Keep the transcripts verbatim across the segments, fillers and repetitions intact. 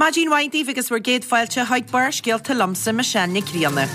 Maidin mhaith daoibh agus bhur gcéad fáilte chuig Barrscéalta liomsa Michelle Nic Grianna.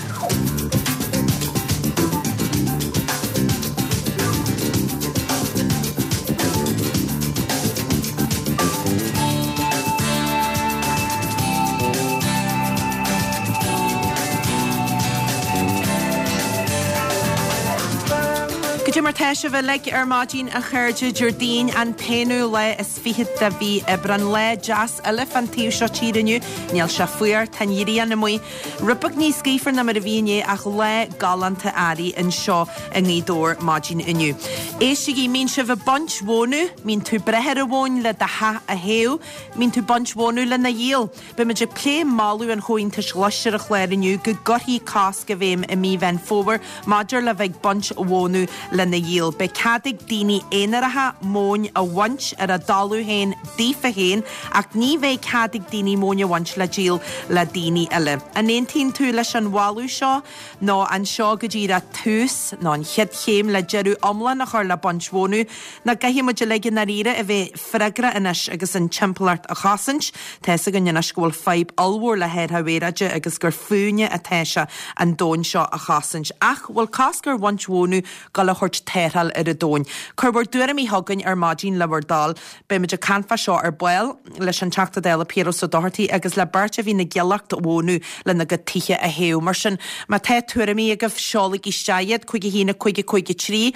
Goidé mar tá sibh uilig ar maidin a chairde Déardaoin an t-aonú lá is fiche de mhí Aibreán lá deas eile fán taobh seo tíre inniu. Níl sé fuar tá an ghrian amuigh. Rud beag níos gaofar ná mar a bhí inné ach lá galánta earraigh anseo i nGaoth Dobhair maidin inniu. Éistigí mbíonn sibh ag baint mhónadh, mbíonn tú ag breith ar an mhóin le do theach a théamh, mbíonn tú ag baint mhónadh lena dhíol. Beimid ag plé moladh an Chomhaontais Ghlais ar an chlár inniu go gcuirfí cosc i bhfeidhm i mí Mheán Fómhair maidir le bheith ag baint mhónadh lena dhíol. Beidh cead ag daoine aonaracha móin a bhaint ar a dtalamh féin daofa féin ach ní bheidh cead ag daoine móin a bhaint le díol le daoine eile. An aontaíonn tú leis an mholadh seo nó an seo go díreach tús nó an chéad chéim le deireadh iomlán a chur le baint mhónadh nó caithfidh muid uilig i ndáiríre a bheith freagrach anois agus an timpeallacht a chosaint. Tá fhios againn anois go bhfuil fadhb ollmhór le hathrú aeráide agus gur fúinne atá sé an domhan seo a chosaint. Ach bhfuil cosc ar bhaint mhónadh ag dul a thabhairt tarrtháil ar an domhan. Cuir bhur dtuairimí chugainn ar maidin le bhur dtoil. Beimid ag caint fá seo ar ball leis an Teachta Dála Piaras Ó Dochartaigh agus le beirt a bhíonn ag giollacht mhónadh lena gcuid tithe a théamh. Mar sin má tá tuairimí agaibh seolaigí isteach iad cúig a haon a cúig a cúig a trí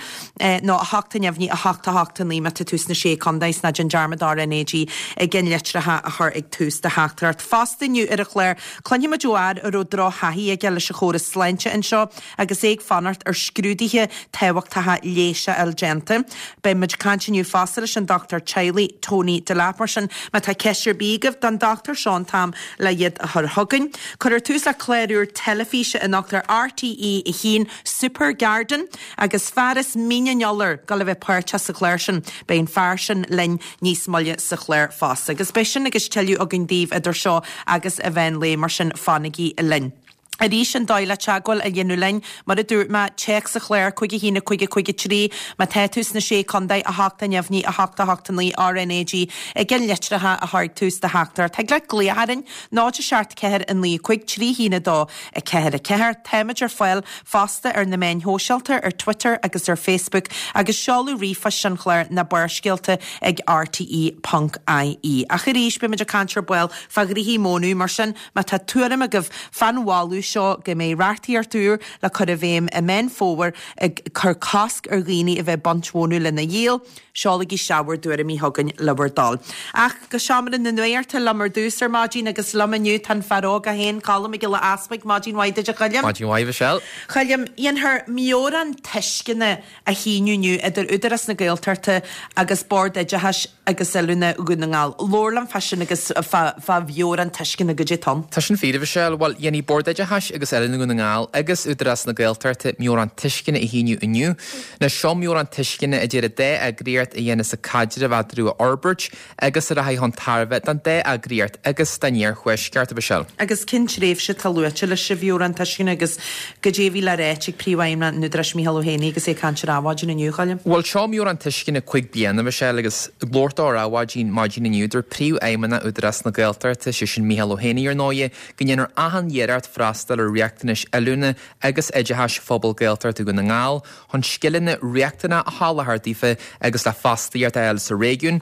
nó a hocht a neamhní a hocht a hocht a naoi má tá tú sna sé chontae is ná déan dearmad RnaG ag an litreacha a chur ag tús do theachtaireacht. Fosta inniu ar an chlár cluinfimid ó fhear a raibh drochthaithí aige leis an chóras sláinte anseo agus é ag fanacht ar scrúduithe tábhachtacha leighis a fháil déanta. Beimid ag caint inniu fosta leis an dochtúir teaghlaigh Tony Delap mar sin má tá ceist ar bith agaibh don dochtúir seo an t-am le iad a chur chugainn. Cuirfear tús le clár úr teilifíse anocht ar RTÉ a haon Super Garden agus fear as Mín an Iolair ag dul a bheith páirteach sa chlár sin. Beidh an fear sin linn níos moille sa chlár fosta. Agus beidh sin agus tuilleadh againn daoibh idir seo agus an mheán lae mar sin fanaigí linn. Arís an dóigh le teagmháil a dhéanamh linn, mar a dúirt mé, téacs an chláir cúig a haon a cúig a cúig a trí, má tá tú sna sé chontae a hocht a neamhní a hocht a hocht a naoi RnaG ag an litreacha a chur ag tús do theachtaireacht. Thig leat glaoch orainn náid a seacht ceathair a naoi cúig trí haon a dó a ceathair a ceathair. Táimid ar fáil fosta ar na meáin shóisialta, ar Twitter agus ar Facebook agus seoladh ríomhphoist an chláir ná barrscéalta ag rte ponc ie. Ach arís beimid ag caint ar ball fá ghnoithí mónadh mar sin má tá tuairim agaibh fán mholadh seo go mbeidh reachtaíocht úr le cur i bhfeidhm i Meán Fómhair ag cur cosc ar dhaoine a bheith ag baint mhónadh lena dhíol, seolaigí isteach bhur dtuairimí chugainn le bhur dtoil. Ach go seomra na nuachta liom ar dtús ar maidin agus liom inniu tá an fear óg é féin, Colm Mac Giolla Easpaig, maidin mhaith duit a Choilm. Maidin mhaith Michelle. Choilm, dhéanfar meabhrán tuisceana a shíniú inniu idir Údarás na Gaeltachta agus Bord Oideachais agus Oiliúna Dhún na nGall. Labhair liom fá sin agus fá mheabhrán tuisceana goidé atá ann. Tá sin fíor a Mhichelle. Bhuel, dhéanfaidh Bord Oideachais agus Oiliúna Dhún na nGall agus Údarás na Gaeltachta meabhrán tuisceana a shíniú inniu. Anois seo meabhrán tuisceana idir an dá eagraíocht a dhéanfas an caidreamh eatarthu a fhorbairt agus a rachaidh chun tairbhe don dá eagraíocht agus don iarthuaisceart, a Mhichelle. Agus cén tréimhse atá luaite leis an mheabhrán tuisceana agus goidé a bhí le ráit ag Príomhfheidhmeannach an Údaráis Micheál Ó hÉanaí agus é ag caint ar Adhmhaidin inniu, Choilm? Bhuel, seo meabhrán tuisceana cúig bliana, a Mhichelle, agus ag labhairt dó ar Adhmhaidin maidin inniu, dúirt Príomhfheidhmeannach Údarás na Gaeltachta, sé sin Micheál Ó hÉanaí ar ndóighe, go ndéanfar achan iarracht freastal ar riachtanais oiliúna agus oideachais phobal Gaeltachta Dhún na nGall chun scileanna riachtanacha a sholáthar daofa agus le fostaíocht a fháil sa réigiún.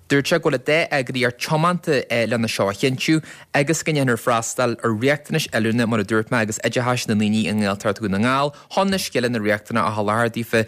Dúirt sé go bhfuil an dá eagraíocht tiomanta lena seo a chinntiú agus go ndéanfar freastal ar riachtanais oiliúna mar a dúirt mé agus oideachais na ndaoine i nGaeltacht Dhún na nGall chun na scileanna riachtanacha a sholáthar daofa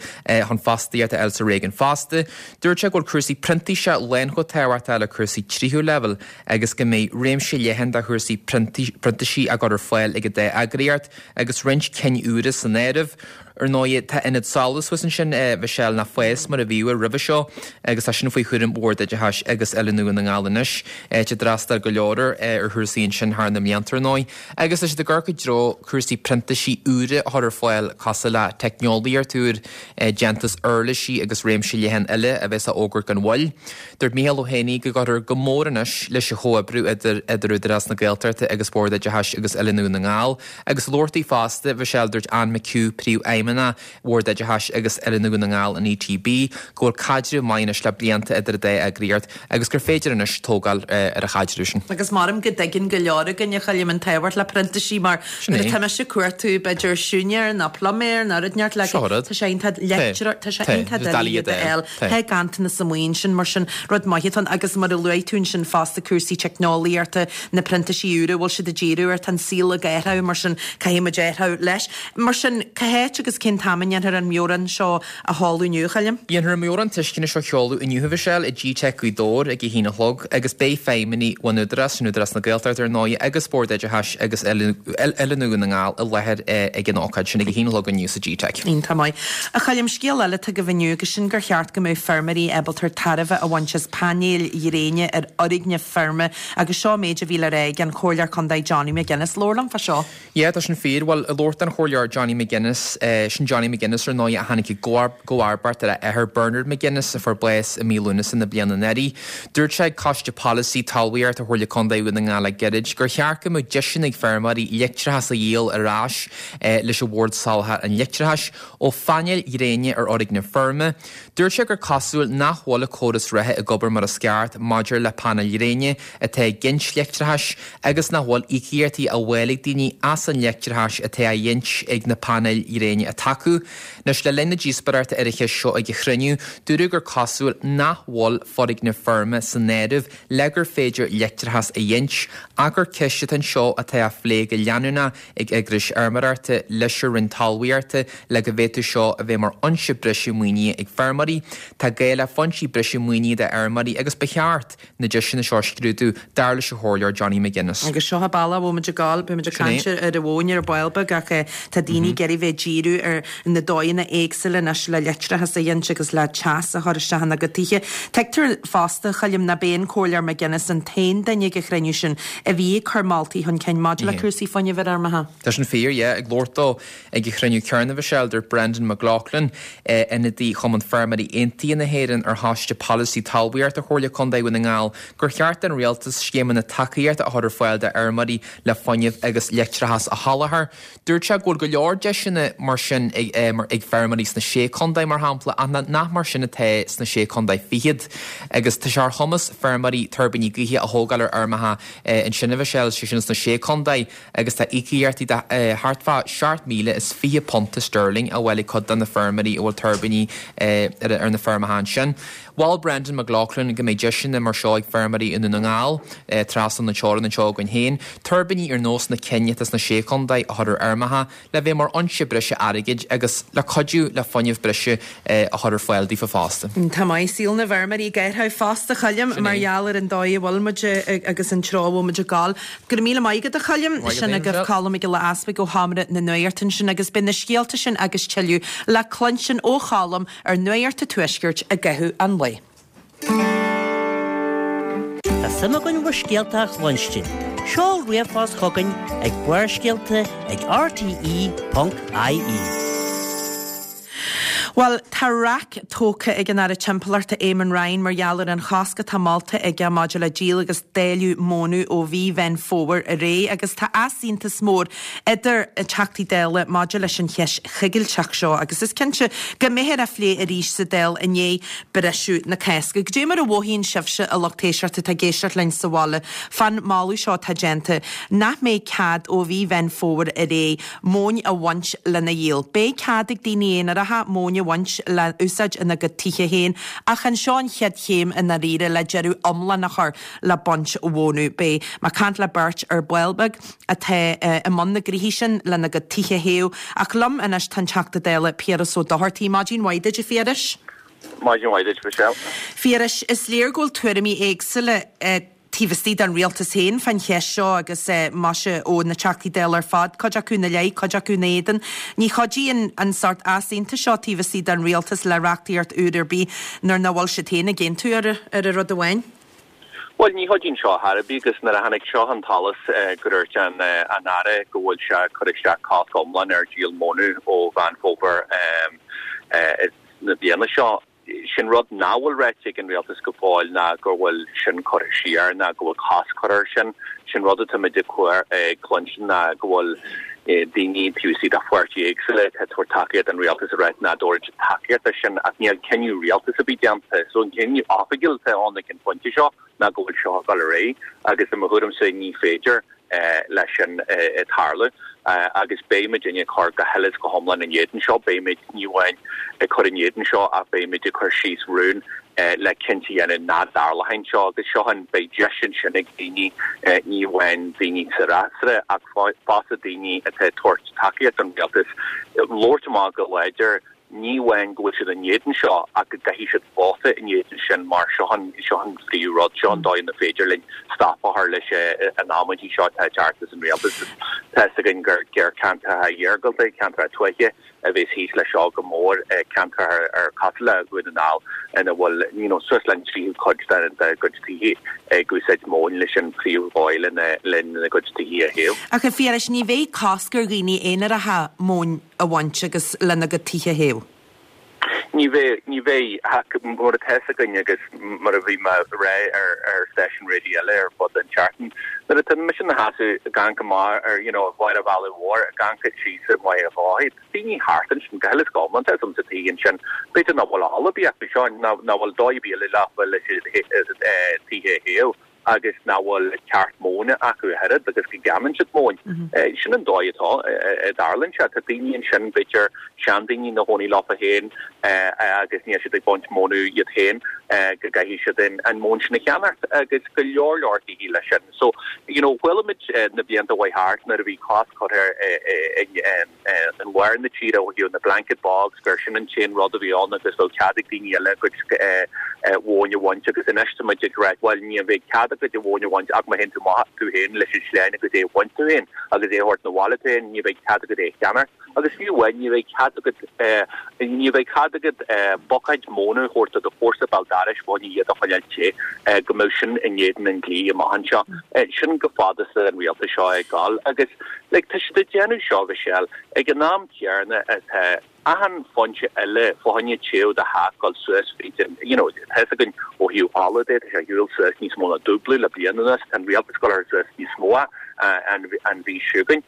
chun fostaíocht a fháil sa réigiún fosta. Dúirt sé go bhfuil cúrsaí printíseachta lán chomh tábhachtach le cúrsaí tríú leibhéal agus go mbeidh réimse leathan de chúrsaí printísigh á gcur ar fáil ag an dá eagraíocht agus roinnt cinn úra san áireamh. Ar ndóigh, tá Ionad Solas thuas ansin, a Mhichelle, nach FÁS mar a bhíodh roimhe seo agus tá sin faoi chúram Bhord Oideachais agus Oiliúna Dhún na nGall anois, áit a d'fhreastail go leor ar chúrsaí ansin thar na mblianta ar ndóigh. Agus tá siad ag amharc i dtreo cúrsaí printísigh úra a chur ar fáil cosúil le teicneolaíocht úr, déantús uirlisí agus réimse leathan eile a bheas á fhógairt gan mhoill. Dúirt Micheál Ó hÉanaí go gcuirfear go mór anois leis an chomhoibriú idir idir Údarás na Gaeltachta agus Bord Oideachais agus Oiliúna Dhún na nGall. Agus labhairt di fosta, Mhichelle, dúirt Anne McHugh, Príomhfheidhmeannach Príomhfheidhmeannach Bhord Oideachais agus Oiliúna Dhún na nGall, an E T B, go bhfuil caidreamh maith anois le blianta idir an dá eagraíocht agus gur féidir anois tógáil ar an chaidreamh sin. Agus maram go dtuigeann go leor againn, a Choilm, an tábhacht le printísigh mar Sin é. tá mise ag cuartú b'fhéidir siúinéir nó pluiméir nó rud inteacht le Seo rud. Tá sé iontach leictreach tá sé Tá. iontach Tá doiligh iad a a fháil. fháil. Tá ganntanas amuigh ansin, mar sin rud maith atá ann agus mar a luaigh tú ansin fosta cúrsaí teicneolaíochta, na printísigh úra bhfuil siad ag díriú ar tá an saol ag athrú, mar sin caithfidh muid athrú leis. Mar sin cá háit agus cén t-am a ndéanfar an meabhrán seo a sheoladh inniu, a Choilm? Dhéanfar an meabhrán tuisceana seo a sheoladh inniu, a Mhichelle, i G-Tech Gaoth Dobhair ag a haon a chlog agus beidh feidhmeannaigh ón Údarás, sin Údarás na Gaeltachta ar ndóigh, agus Bord Oideachais agus Oiliúna Dhún na nGall i láthair ag an ócáid sin ag a haon a chlog inniu sa G-Tech. Iontach maith. A Choilm, scéal eile atá agaibh inniu agus sin gur cheart go mbeadh feirmeoirí ábalta tairbhe a bhaint as painéil ghréine ar fhoirgnimh feirme agus seo méid a bhí le rá ag an Chomhairleoir Contae Johnny McGuinness. Labhair liom fá seo. Yeah, tá sin fíor. Well, i labhairt don Chomhairleoir Johnny McGuinness, eh, sin Johnny McGuinness ar ndóigh a tháinig i gcomharbacht ar a athair Bernard McGuinness a fuair bás i mí Lúnasa na bliana anuraidh. Dúirt sé ag Coiste Polasaí Talmhaíochta Chomhairle Contae Dhún na nGall le gairid gur cheart go mbeadh deiseanna ag feirmeoirí leictreachas a dhíol ar ais eh, leis an Bhord Soláthair an Leictreachais ó phainéil ghréine ar fhoirgnimh feirme. Dúirt sé gur cosúil nach bhfuil an córas reatha ag obair mar is ceart maidir le painéil ghréine atá ag gint leictreachais agus nach bhfuil íocaíochtaí á bhfáil ag daoine as an leictreachas atá á ghint ag na painéil ghréine atá acu. Anois le linn na díospóireachta ar an cheist seo ag an chruinniú, dúradh gur cosúil nach bhfuil foirgnimh feirme san áireamh le gur féidir leictreachas a ghint, ach gur ceist atá anseo atá á phlé go leanúnach ag eagrais fheirmeoireachta leis an Roinn Talmhaíochta le go bhféadfadh seo a bheith mar fhoinse breise maoinithe ag feirmeoirí. Tá gá le foinsí breise maoinithe d'fheirmeoirí agus ba cheart na deiseanna seo a scrúdú dar leis an Chomhairleoir Johnny McGuinness. Agus seo bealach a bhfuil muid ag gabháil, beidh muid ag caint ar an mhóin ar ball beag ach eh, tá daoine ag iarraidh bheith díriú ar na dóigheanna éagsúla anois le leictreachas a ghint agus le teas a chur isteach ina gcuid tithe. Tuigtear fosta, a Choilm, nach b'é an Comhairleoir McGuinness an t-aon duine ag an chruinniú sin a bhí ag cur moltaí chun cinn maidir le cúrsaí fuinnimh ar fheirmeacha. Tá sin fíor, yeah, ag labhairt dó ag an chruinniú céanna, a Mhichelle, dúirt Brendan McLaughlin eh, ionadaí Chumann Feirmeoirí Aontaithe na hÉireann ar Choiste Polasaí Talmhaíochta Chomhairle Contae Dhún na nGall gur cheart don rialtas scéimeanna tacaíochta a chur ar fáil d'fheirmeoirí le fuinneamh agus leictreachas a sholáthar. Dúirt sé go bhfuil go leor deiseanna mar sin ag, eh, mar, ag feirmeoirí sna sé contae mar shampla ach nach mar sin atá sna sé contae fichead. Agus tá sé ar chumas feirmeoirí tuirbíní gaoithe a thógáil ar fheirmeacha eh, ansin, a Mhichelle, sé sin sna sé contae agus tá íocaíochtaí de eh, thart fá seacht míle is fiche punta sterling á bhfáil ag cuid de na feirmeoirí a bhfuil tuirbíní eh, ar, ar na feirmeacha sin. Mhol Brendan McLaughlin go mbeidh deiseanna mar seo ag feirmeoirí i nDún na nGall eh, trasna na teorann anseo againn féin, tuirbíní ar nós na cinn atá sna sé contae a chur ar fheirmeacha le bheith mar fhoinse breise airgid agus le cuidiú le fuinneamh breise eh, a chur ar fáil daofa fosta. Tá maith saol na bhfeirmeoirí ag athrú fosta, a Choilm mar gheall ar an dóigh a bhfuil muid agus an treo a bhfuil muid ag gabháil. Go raibh míle maith agat, a Choilm. Sin agaibh Colm Mac Giolla Easpaig ó Sheomra na Nuachta sin agus beidh na scéalta sin agus tuilleadh le cluinstin ó Cholm ar Nuacht an Tuaiscirt i gcaitheamh an lae. Tá suim againn bhur scéalta a chluinstin. Seol ríomhphost chugainn ag Barrscéalta ag R T E ponc I E. Well, tá raic tógtha ag an Aire Timpeallachta Eamon Ryan mar gheall ar an chosc atá molta aige maidir le díol agus dáileadh móna ó mhí Mheán Fómhair ar aghaidh agus tá easaontas mór idir Teachtaí Dála maidir leis an cheist choigilteach seo agus is cinnte go mbeifear á phlé arís sa Dáil i ndiaidh briseadh na Cásca. Goidé mar a mhothaíonn sibhse, a lucht éisteachta atá ag éisteacht linn sa bhaile fán moladh seo atá déanta nach mbeidh cead ó mhí Mheán Fómhair ar aghaidh móin a bhaint lena dhíol. Beidh cead ag daoine aonaracha móin a bhaint le úsáid ina gcuid tithe féin ach anseo an chéad chéim i ndáiríre le deireadh iomlán a chur le baint mhóna. Beidh mé ag caint le beirt ar ball beag atá uh, i mbun na gnoithe sin lena gcuid tithe a théamh ach liom anois tá an Teachta Dála Piaras Ó Dochartaigh. Maidin mhaith duit, a Phiarais. Maidin mhaith duit, Michelle. Phiarais, is léir go bhfuil tuairimí éagsúla uh, taobh istigh den rialtas féin fán cheist seo agus uh, maise ó na Teachtaí Dála ar fad, cuid acu ina leith, cuid acu ina éadan. Ní chuidíonn an sórt easaontais seo taobh istigh den rialtas le reachtaíocht úr ar bith nuair nach bhfuil siad féin ag aontú ar ar a rud amháin. Well, ní chuidíonn seo ar bith agus nuair a tháinig seo chun solais uh, go dúirt an uh, an Aire go bhfuil sé chur isteach cosc iomlán ar díol móna ó Mheán Fómhair um, uh, na bliana seo. Sin rud nach bhfuil ráite ag an rialtas go fóill ná go bhfuil sin curtha siar ná go bhfuil cosc curtha air sin. Sin rud atáimid ag cluinstin ná go bhfuil daoine taobh istigh de pháirtí éagsúla atá ag tabhairt tacaíocht don rialtas ag ráit nach dtabharfaidh siad tacaíocht air sin ach níl cinneadh rialtais ar bith déanta. So an cinneadh oifigiúil atá ann ag an phointe seo ná go bhfuil seo ag dul ar aghaidh agus i mo thuairimse ní féidir leis sin tarlú agus beidh muidinne ag cur go huile is go hiomlán in éadan seo, beidh muid ní amháin ag cur in éadan seo ach beidh muid ag cur síos rún le cinnte a dhéanamh nach dtarlóidh seo agus seo an beidh deis ansin ag daoine ní amháin daoine sa fhreasúra ach fosta daoine atá ag tabhairt tacaíocht don rialtas labhairt amach go láidir ní amháin go bhfuil siad in éadan seo ach go gcaithfidh siad vóta in éadan sin mar seo an seo an phríomhrud, seo an dóigh ina féidir linn stop a chur leis an amaidí seo atá ag teacht as an rialtas. Tá fhios againn gur gur ceantracha iargúlta, ceantracha tuaithe a bheas thíos leis seo go mór, ceantracha ar cosúil le Dhún na nGall ina bhfuil you know suas le an tríú cuid dá gcuid tithe ag úsáid móin leis an phríomhdhóigh lena lena gcuid tithe a théamh. Ach a Phiarais, ní bheidh cosc ar dhaoine aonaracha móin a bhaint agus lena gcuid tithe a théamh. Ní bheidh, ní bheidh, ach mar atá fhios againn agus mar a bhí mé a rá ar ar stáisiún raidió eile ar fud an tseachtain, nuair atá mise ina sheasamh ag amharc amach ar you know bharr an bhealaigh mhóir, ag amharc síos ar Mhachaire Bhaile, tá daoine thart ansin go huile is go hiomlán, tá fhios a'm sa tigh ansin, b'fhéidir nach bhfuil ola ar bith acu seo, nach bhfuil dóigh ar bith eile leofa leis an tithe a théamh. agus nach bhfuil ceart móna acu a oiread agus go gceannaíonn siad móin. Sin an dóigh atá a dtarlaíonn sé. Tá daoine ansin, b'fhéidir seandaoine ina gcónaí leofa féin agus níl siad ag baint móna iad féin, go gcaithfidh siad an mhóin sin a cheannacht agus go leor leor tithe leis sin. So, you know, chuala muid na blianta a chuaigh thart nuair a bhí cosc curtha i lár na tíre ó thaobh na blanket bogs gur sin an t-aon rud a bhí ann agus bheadh cead ag daoine eile a gcuid mhóin a bhaint agus anois tá muid ag rá bhuel ní bheidh cead agat an mhóin a bhaint ach má théann tú amach tú féin leis an sleán agus é a bhaint tú féin agus é a thabhairt 'na bhaile tú féin ní bheidh cead agat é a cheannacht agus fiú amháin ní bheidh cead agat ní bheidh cead agat buicéid móna a thabhairt do do chomharsa béal dorais fá choinne iad a choinneáil te go mbeadh sin in éadan an dlí amach anseo. Sin chomh fada is an rialtas seo ag dul agus like tá siad ag déanamh seo Michelle ag an am céanna atá achan foinse eile fá choinne téamh do theach ag dul suas fríd an you know tá fhios againn ó thaobh ola de tá sé ar shiúl suas níos mó ná dúblú le bliain anuas tá an rialtas ag dul suas níos mó an an mhí seo chugainn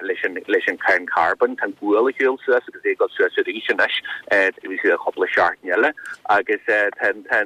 leis an leis an cáin carbóin tá an gual ar shiúl suas agus é ag dul suas arís anois taobh istigh de chúpla seachtain eile agus tá tá tá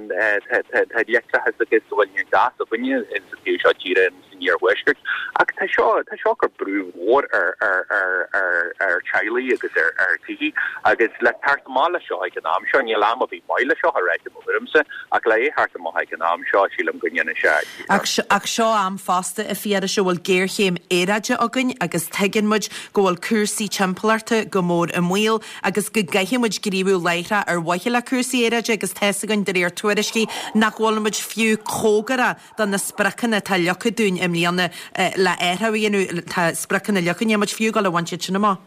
tá leictreachas agus go bhfuil an gás againne sa taobh seo tíre san iarthuaisceart. Ach tá seo tá seo ag cur brú mhór ar ar ar ar ar teaghlaigh agus ar ar tithe agus le teacht amach leis seo ag an am seo, níl am ar bith maith le seo a ráit i mo thuairimse, ach le é theacht amach ag an am seo, sílim go ndéanfaidh sé Ach ach seo am fosta a Phiarais a bhfuil géarchéim aeráide againn agus tuigeann muid go bhfuil cúrsaí timpeallachta go mór i mbaol agus go gcaithfidh muid gníomhú láithreach ar mhaithe le cúrsaí aeráide agus tá fhios againn de réir tuairiscí nach bhfuil muid fiú cóngarach do na spriocanna atá leagtha dúinn i mbliana le athrú a dhéanamh, tá spriocanna leagtha, níl muid fiú ag dul a bhaint iad sin amach.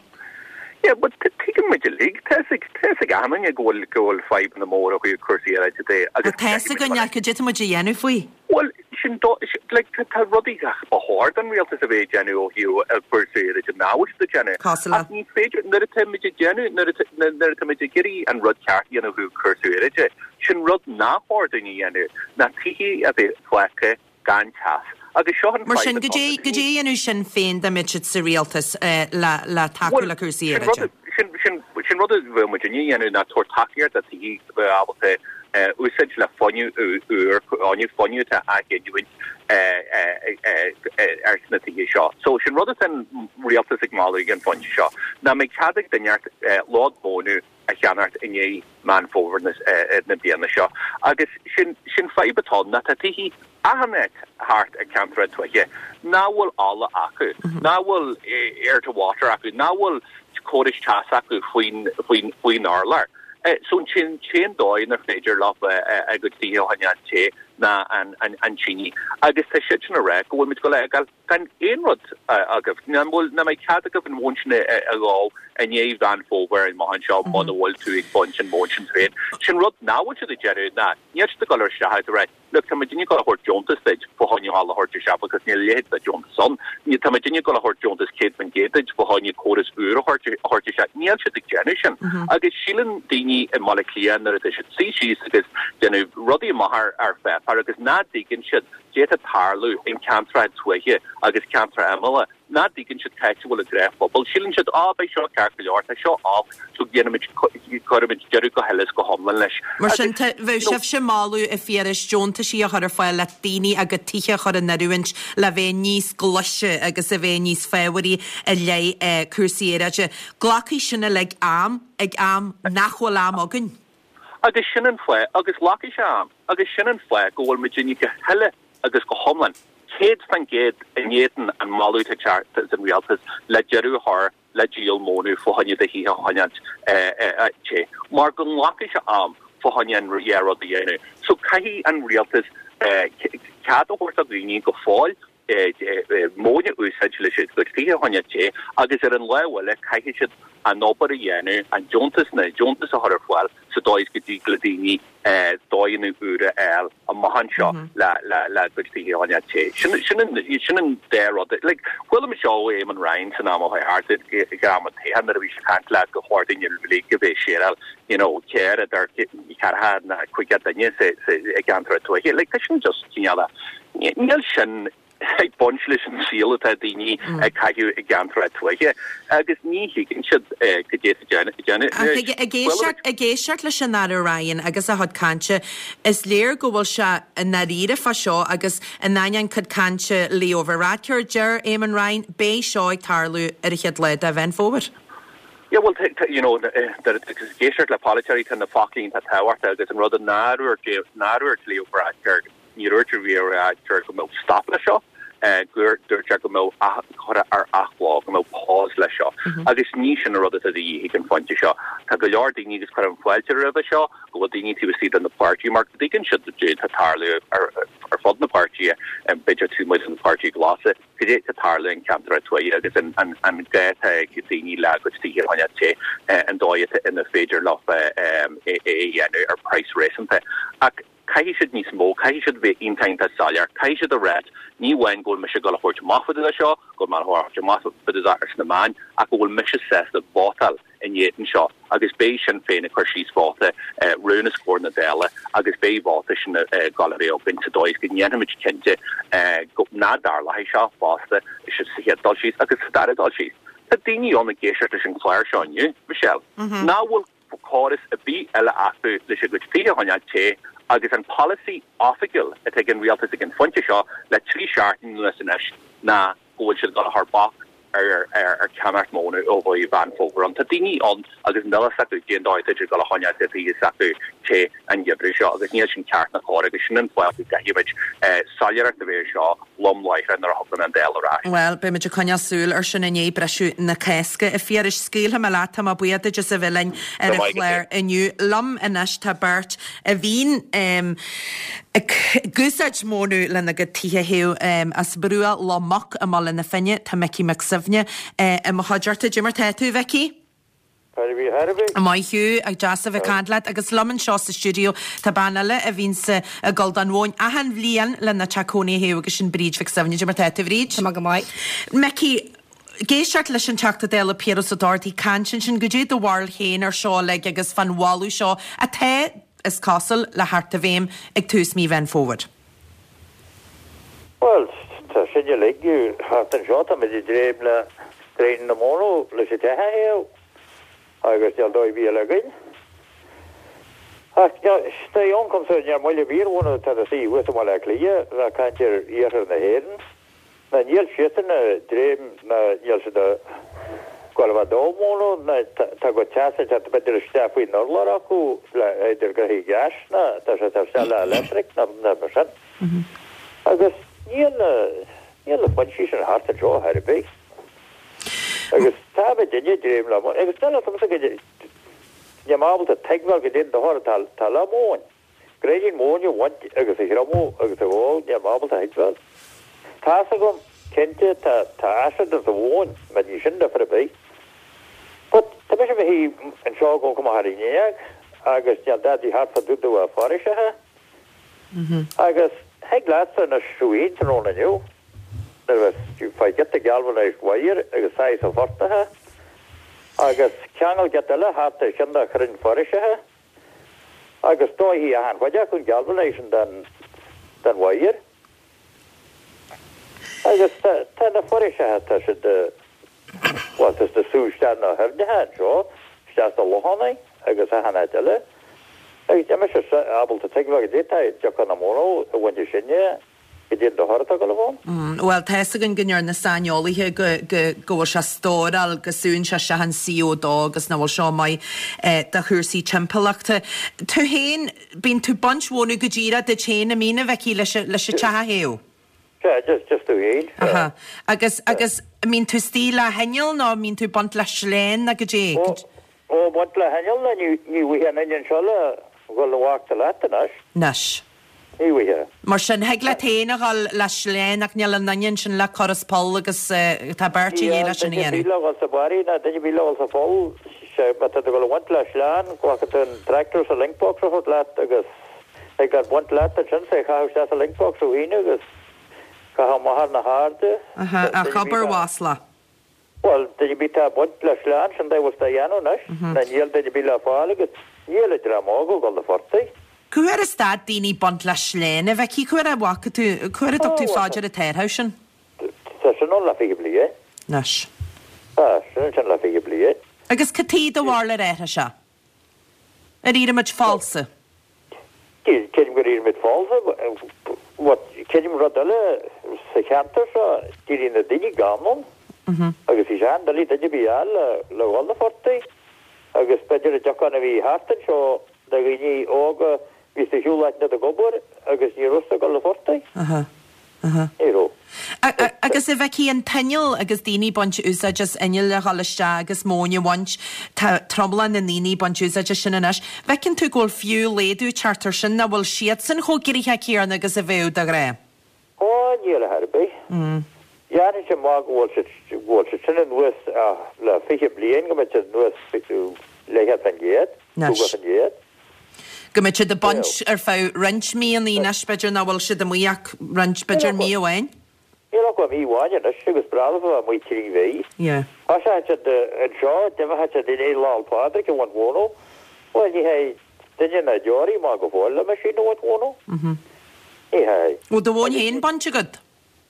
Yeah, but tuigeann muid uilig, tá fhios ag, tá fhios ag achan duine go bhfuil, go bhfuil fadhbanna móra ó thaobh cúrsaí aeráide de agus Tá fhios againn ach cad é atá muid a dhéanamh faoi? Bhuel, sin do, like, tá, tá rudaí ba chóir don rialtas a bheith ag déanamh ó thaobh cúrsaí aeráide nach bhfuil siad ag déanamh. Cosúil le? Ach ní féidir, nuair atá muid ag déanamh, nuair atá, nuair atá muid ag iarraidh an rud ceart a dhéanamh ó thaobh cúrsaí aeráide, sin rud nach chóir dúinn a dhéanamh, ná tithe a bheith fágtha gan teas. Agus seo an Mar sin, fadhb cad atá é, na cad é a dhéanfadh Sinn Féin dá mbeadh siad sa rialtas le, le tacú Bhuel, le cúrsaí sin aeráide? rud, sin, sin, sin rud a bheadh muidinne a dhéanamh ná tabhairt tacaíocht do thithe a bheadh ábalta úsáid le fuinneamh úr, fuinneamh atá á ghiniúint ar sna tithe seo. So sin rud atá an rialtas ag moladh ag an phointe seo, nach mbeidh cead ag duine lód móna a cheannacht i ndiaidh Meán Fómhair na bliana seo. Agus sin sin fadhb atá ann, ná tá tithe achan áit thart i ceantracha tuaithe nach bhfuil ola acu, nach bhfuil air to water acu, nach bhfuil córais teas acu faoin faoin faoin urlár. So sin an t-aon dóigh inar féidir leo a gcuid tithe a choinneáil te ná an an an tine agus tá siad sin ag rá go bhfuil muid go le gan aon rud agaibh nach bhfuil nach mbeidh cead agaibh an mhóin sin a dhó i ndiaidh Mheán Fómhair amach anseo muna bhfuil tú ag baint an mhóin sin féin. Sin rud nach bhfuil siad ag déanamh ná níl siad ag dul isteach ag rá Look, tá muidinne ag dul a thabhairt deontas duit fá choinne a thabhairt isteach because níl a leithéid de deontas ann. Ní tá muidinne ag dul a thabhairt deontas céad faoin gcéad duit fá choinne córas úr a thabhairt isteach. Níl siad ag déanamh sin. Agus síleann daoine i mBaile Átha Cliath nuair atá siad suí síos agus déanamh rudaí amach ar ar pháipéar agus ná dtuigeann siad goidé atá ag tarlú in ceantracha tuaithe agus ceantracha imealla ná dtuigeann siad cá háit a bhfuil an gnáthphobal. Síleann siad á beidh seo ceart go leor, tá seo olc, so déanaimid cuirimid deireadh go huile is go hiomlán leis. Mar sin bheadh sibhse ag moladh a Phiarais deontaisí a chur ar fáil le daoine a gcuid tithe a chur in oiriúint le bheith níos glaise agus a bheith níos fabhraí i leith cúrsaí aeráide. Glacfaidh sin uilig am ag am nach bhfuil am againn. Agus sin an fáth agus glacfaidh sé am agus sin an fáth go bhfuil muidinne go huile agus go hiomlán céad faoin gcéad in éadan an moladh atá ag an rialtas le deireadh a chur le díol móna fá choinne do thithe a choinneáil te mar go nglacfaidh sé am fá choinne an dhá rud a dhéanamh. So caithfidh an rialtas cead a thabhairt do dhaoine go fóill móin a úsáid leis a gcuid tithe a choinneáil te agus ar an lámh eile caithfidh siad an obair a dhéanamh, an deontas na deontas a chur ar fáil sa dóigh is go dtig le daoine dóigheanna úra a fháil amach anseo le le le gcuid tithe a choinneáil te. Sin sin an sin an dá rud. Like chuala mé seo ó Eamon Ryan san am ó thart ag am an toghcháin nuair a bhí sé ag caint le go chóir daoine uilig a bheith ag séireáil you know ceithre idir ceathracha ná caoga duine sa sa i gceantar tuaithe. Like tá sin just cineál níl sin ag baint leis an saol atá daoine ag caitheamh i gceantar tuaithe agus ní thuigeann siad goidé déanamh. Ag éisteacht ag éisteacht leis an Aire Ryan agus a chuid cainte is léir go bhfuil sé i ndáiríre fá seo agus in ainneoin cuid cainte Leo Varadkar deir Eamon Ryan beidh seo ag tarlú ar an chéad lá de Mheán Fómhair. Yeah, well, you know, éisteacht le polaiteoirí tá na foclaí iontach tábhachtach agus an rud a nár dhúirt Leo Varadkar ní dúirt Leo Varadkar go mbeadh stop le seo gur dúirt sé go mbeadh chur ar athlá go mbeadh pause le seo. Agus ní sin an rud atá de dhíth ag an phointe seo. Tá go leor daoine agus cuirim fáilte roimhe seo go bhfuil daoine taobh istigh de na páirtí mar go dtuigeann siad goidé atá ag tarlú ar ar fud na páirtithe b'fhéidir taobh amuigh den pháirtí glasa goidé atá ag tarlú in ceantar tuaithe agus an an an gá atá ag daoine le gcuid tithe a choinneáil te an dóigh ina féidir leo é a dhéanamh ar price réasúnta. Ach caithfidh siad níos mó, caithfidh siad bheith iontach iontach soiléir, caithfidh siad a rá ní amháin go bhfuil mise ag dul a thabhairt amach fá dtaobh de seo, go bhfuil mé a thabhairt amach fá dtaobh de sna meáin, ach go bhfuil mise sásta vótáil in éadan seo agus beidh Sinn Féin ag cur síos vóta rún os comhair na Dála agus beidh vóta sin ag dul a bheith againn sa dóigh is go ndéanfaimid cinnte go nach dtarlóidh seo fosta sa chéad dul síos agus sa dara dul síos. Tá daoine ann ag éisteacht leis an chlár seo inniu, Michelle, nach bhfuil córas ar bith eile acu leis a gcuid tithe a choinneáil te agus an polasaí oifigiúil atá ag an rialtas ag an phointe seo le trí seachtain anuas anois ná go bhfuil siad ag dul a chur bac ar ar ar cheannach móna ó mhí Mheán Fómhair ann. Tá daoine ann agus níl a fhios acu cén dóigh atá siad ag dul a choinneáil na tithe s'acu te an geimhreadh seo agus níl sin ceart ná cóir agus sin an fáth go gcaithfimid soiléireacht a bheith seo lom láithreach nuair a thugann an Dáil ar ais. Well, beimid ag coinneáil súil ar sin i ndiaidh briseadh na Cásca. A Phiarais scaoilfidh mé leat tá mé buíoch duit as a bheith linn ar an chlár inniu. Liom anois tá beirt a bhíonn um, ag úsáid móna lena gcuid tithe a théamh as Bruach Loch Muc i mBaile na Finne tá Micí Mac Suibhne i mo chuideachta. Goidé mar tá tú Mhicí? Maith thú ag deas a bheith ag caint leat agus liom anseo sa stiúideo tá bean eile a bhíonn ag dul don mhóin achan bhliain lena teach cónaí a théamh agus sin Bríd Mhic Suibhne. Goidé mar tá tú Bríd? Tá go maith. Micí, ag éisteacht leis an Teachta Dála Piaras Ó Dochartaigh caint ansin goidé do bharúil féin ar seo uilig agus fán mholadh seo atá is cosúil le theacht i bhfeidhm ag tús mí Mheán Fómhair. Well, tá sin uilig thart anseo tá muid ag dréim le dréim na móna leis an teach a théamh agus níl dóigh ar bith eile againn. Ach tá ioncam sa níor moille bhíormhóna tá na suí thuas i mBaile Átha Cliath le caint ar iarthar na hÉireann. Na níl siadsan ag dréim na níl siad ag gabháil a bheith ag dó móna na tá go teas ag teacht b'fhéidir isteach faoin urlár acu le idir gothaí gáis na tá sé tá sé le electric na na mar sin. Agus níl na níl na foinsí sin thart anseo ar bith. Agus tá muidinne ag dréim le agus níl a fhios agamsa go níl mé ábalta tuigbheáil goidé an dochar atá tá le móin. Gréidín móine a bhaint agus a thriomú agus a dh'ól, níl mé ábalta a thuigbheáil. Tá's agam, cinnte, tá, tá acid insa mhóin, mar ní sin difear ar bith. But, tá mise i mo shuí anseo ag amharc amach ar an fhuinneog agus níl dadaí thart fá dtaobh de na foraoiseacha. Agus thig leatsa anois thú fhéin tráthnóna inniu, nuair a bheas tú fá ghiota galvanized wire agus sáith sa phortach agus ceangal giota eile thart ar cheann de chrainn foraoiseacha, Agus dófaidh achan chuid acu an galvanization den den wire. Agus tá tá na foraoiseacha tá siad bhuel tá siad ag sú isteach na haibhneacha anseo, isteach sna lochanna agus achan áit eile. Agus níl mise ábalta tuigbheáil goidé tá deoch na móna a bhaint sinne Goidé an dochar atá ag dul a bheith ann? Bhuel, tá fhios againn go ndeir na saineolaithe go go go bhfuil sé stóráil, go súnn sé isteach an C O dó agus nach bhfuil seo maith do chúrsaí timpeallachta. Tú féin, bíonn tú baint mhónadh go díreach duit féin, an mbíonn, a Mhicí, leis leis an teach a théamh? Sea, just just tú féin, sea. Aha. Agus agus an mbíonn tú istigh le hinneall nó an mbíonn tú baint le sleán nó goidé? Ó, ó, baint le hinneall, ní ní bhfaighidh an inneall seo le dhul i bhfágta leat anois. Anois. Ní bhfaighidh. Mar sin, thig leat féin a dhul le sleán ach níl aon duine ansin le cur as poll agus tá beirt a dhíth leis sin a Níl duine ar dhéanamh. bith le dhul sa bharraí ná duine ar bith le dhul sa pholl. Sea, má tá tú ag dul a bhaint le sleán, glacfaidh tú an tractor sa link box a thabhairt leat agus thig leat baint leat ansin, 's é a chaitheamh isteach sa link box thú féin agus caitheamh amach ar na hairde. Aha, ach obair mhaslach. Bhuel, duine ar bith atá ag baint le sleán, sin dóigh a bhfuil siad á dhéanamh anois. Ná níl duine ar bith le fáil agus níl an dream óg ag dul 'na phortaigh. Cá huair a stad daoine baint le sleán, a Mhicí? Cá huair a bhfaca tú, cá huair a dtug tú fá dear an t-athrú sin? Tá sin ann le fiche bliain. Anois. Tá, sin ansin le fiche bliain. Agus cad chuige do bharúil ar athraigh sé? Ar éirigh muid falsa? Creidim gur éirigh muid falsa. But creidim rud eile, sa cheantar seo, d'éirigh na daoine gann ann agus bhí sé an-doiligh duine ar bith a fháil le dhul 'na phortaigh agus b'fhéidir an deocán a bhí thart anseo de dhaoine óga bhí siad ar shiúl áiteanna ag obair agus ní raibh siad ag dul 'na phortaigh. Ní raibh. Agus a Mhicí, an t-inneall agus daoine ag baint úsáid as inneall le dhul isteach agus móin a bhaint, tá tromlach na ndaoine ag baint úsáid as sin anois. Bhfeiceann tú go bhfuil fiú laghdú ag teacht air sin, nach bhfuil siadsan chomh gnoitheach céanna agus a bheadh de ghnáth? Ó, níl ar chor ar bith. Dhéanfainn sé maith go bhfuil siad, go bhfuil siad sin anuas le fiche bliain, go mbeidh siad anuas leathchéad faoin gcéad, caoga faoin gcéad. Go mbeidh siad ag baint ar feadh roinnt míonna anois, b'fhéidir nach bhfuil siad amuigh ach roinnt, b'fhéidir mí amháin. Níl ach mí amháin anois agus breá leofa bheith amuigh trí mhí. Thosaigh siad anseo, d'imigh siad i ndiaidh Lá 'le Pádraig ag baint mhóna. Bhuel, ní théidh duine ná deoraí amach go fóill le meaisín a bhaint mhóna. Ní théidh. Bhfuil do mhóin féin bainte agat?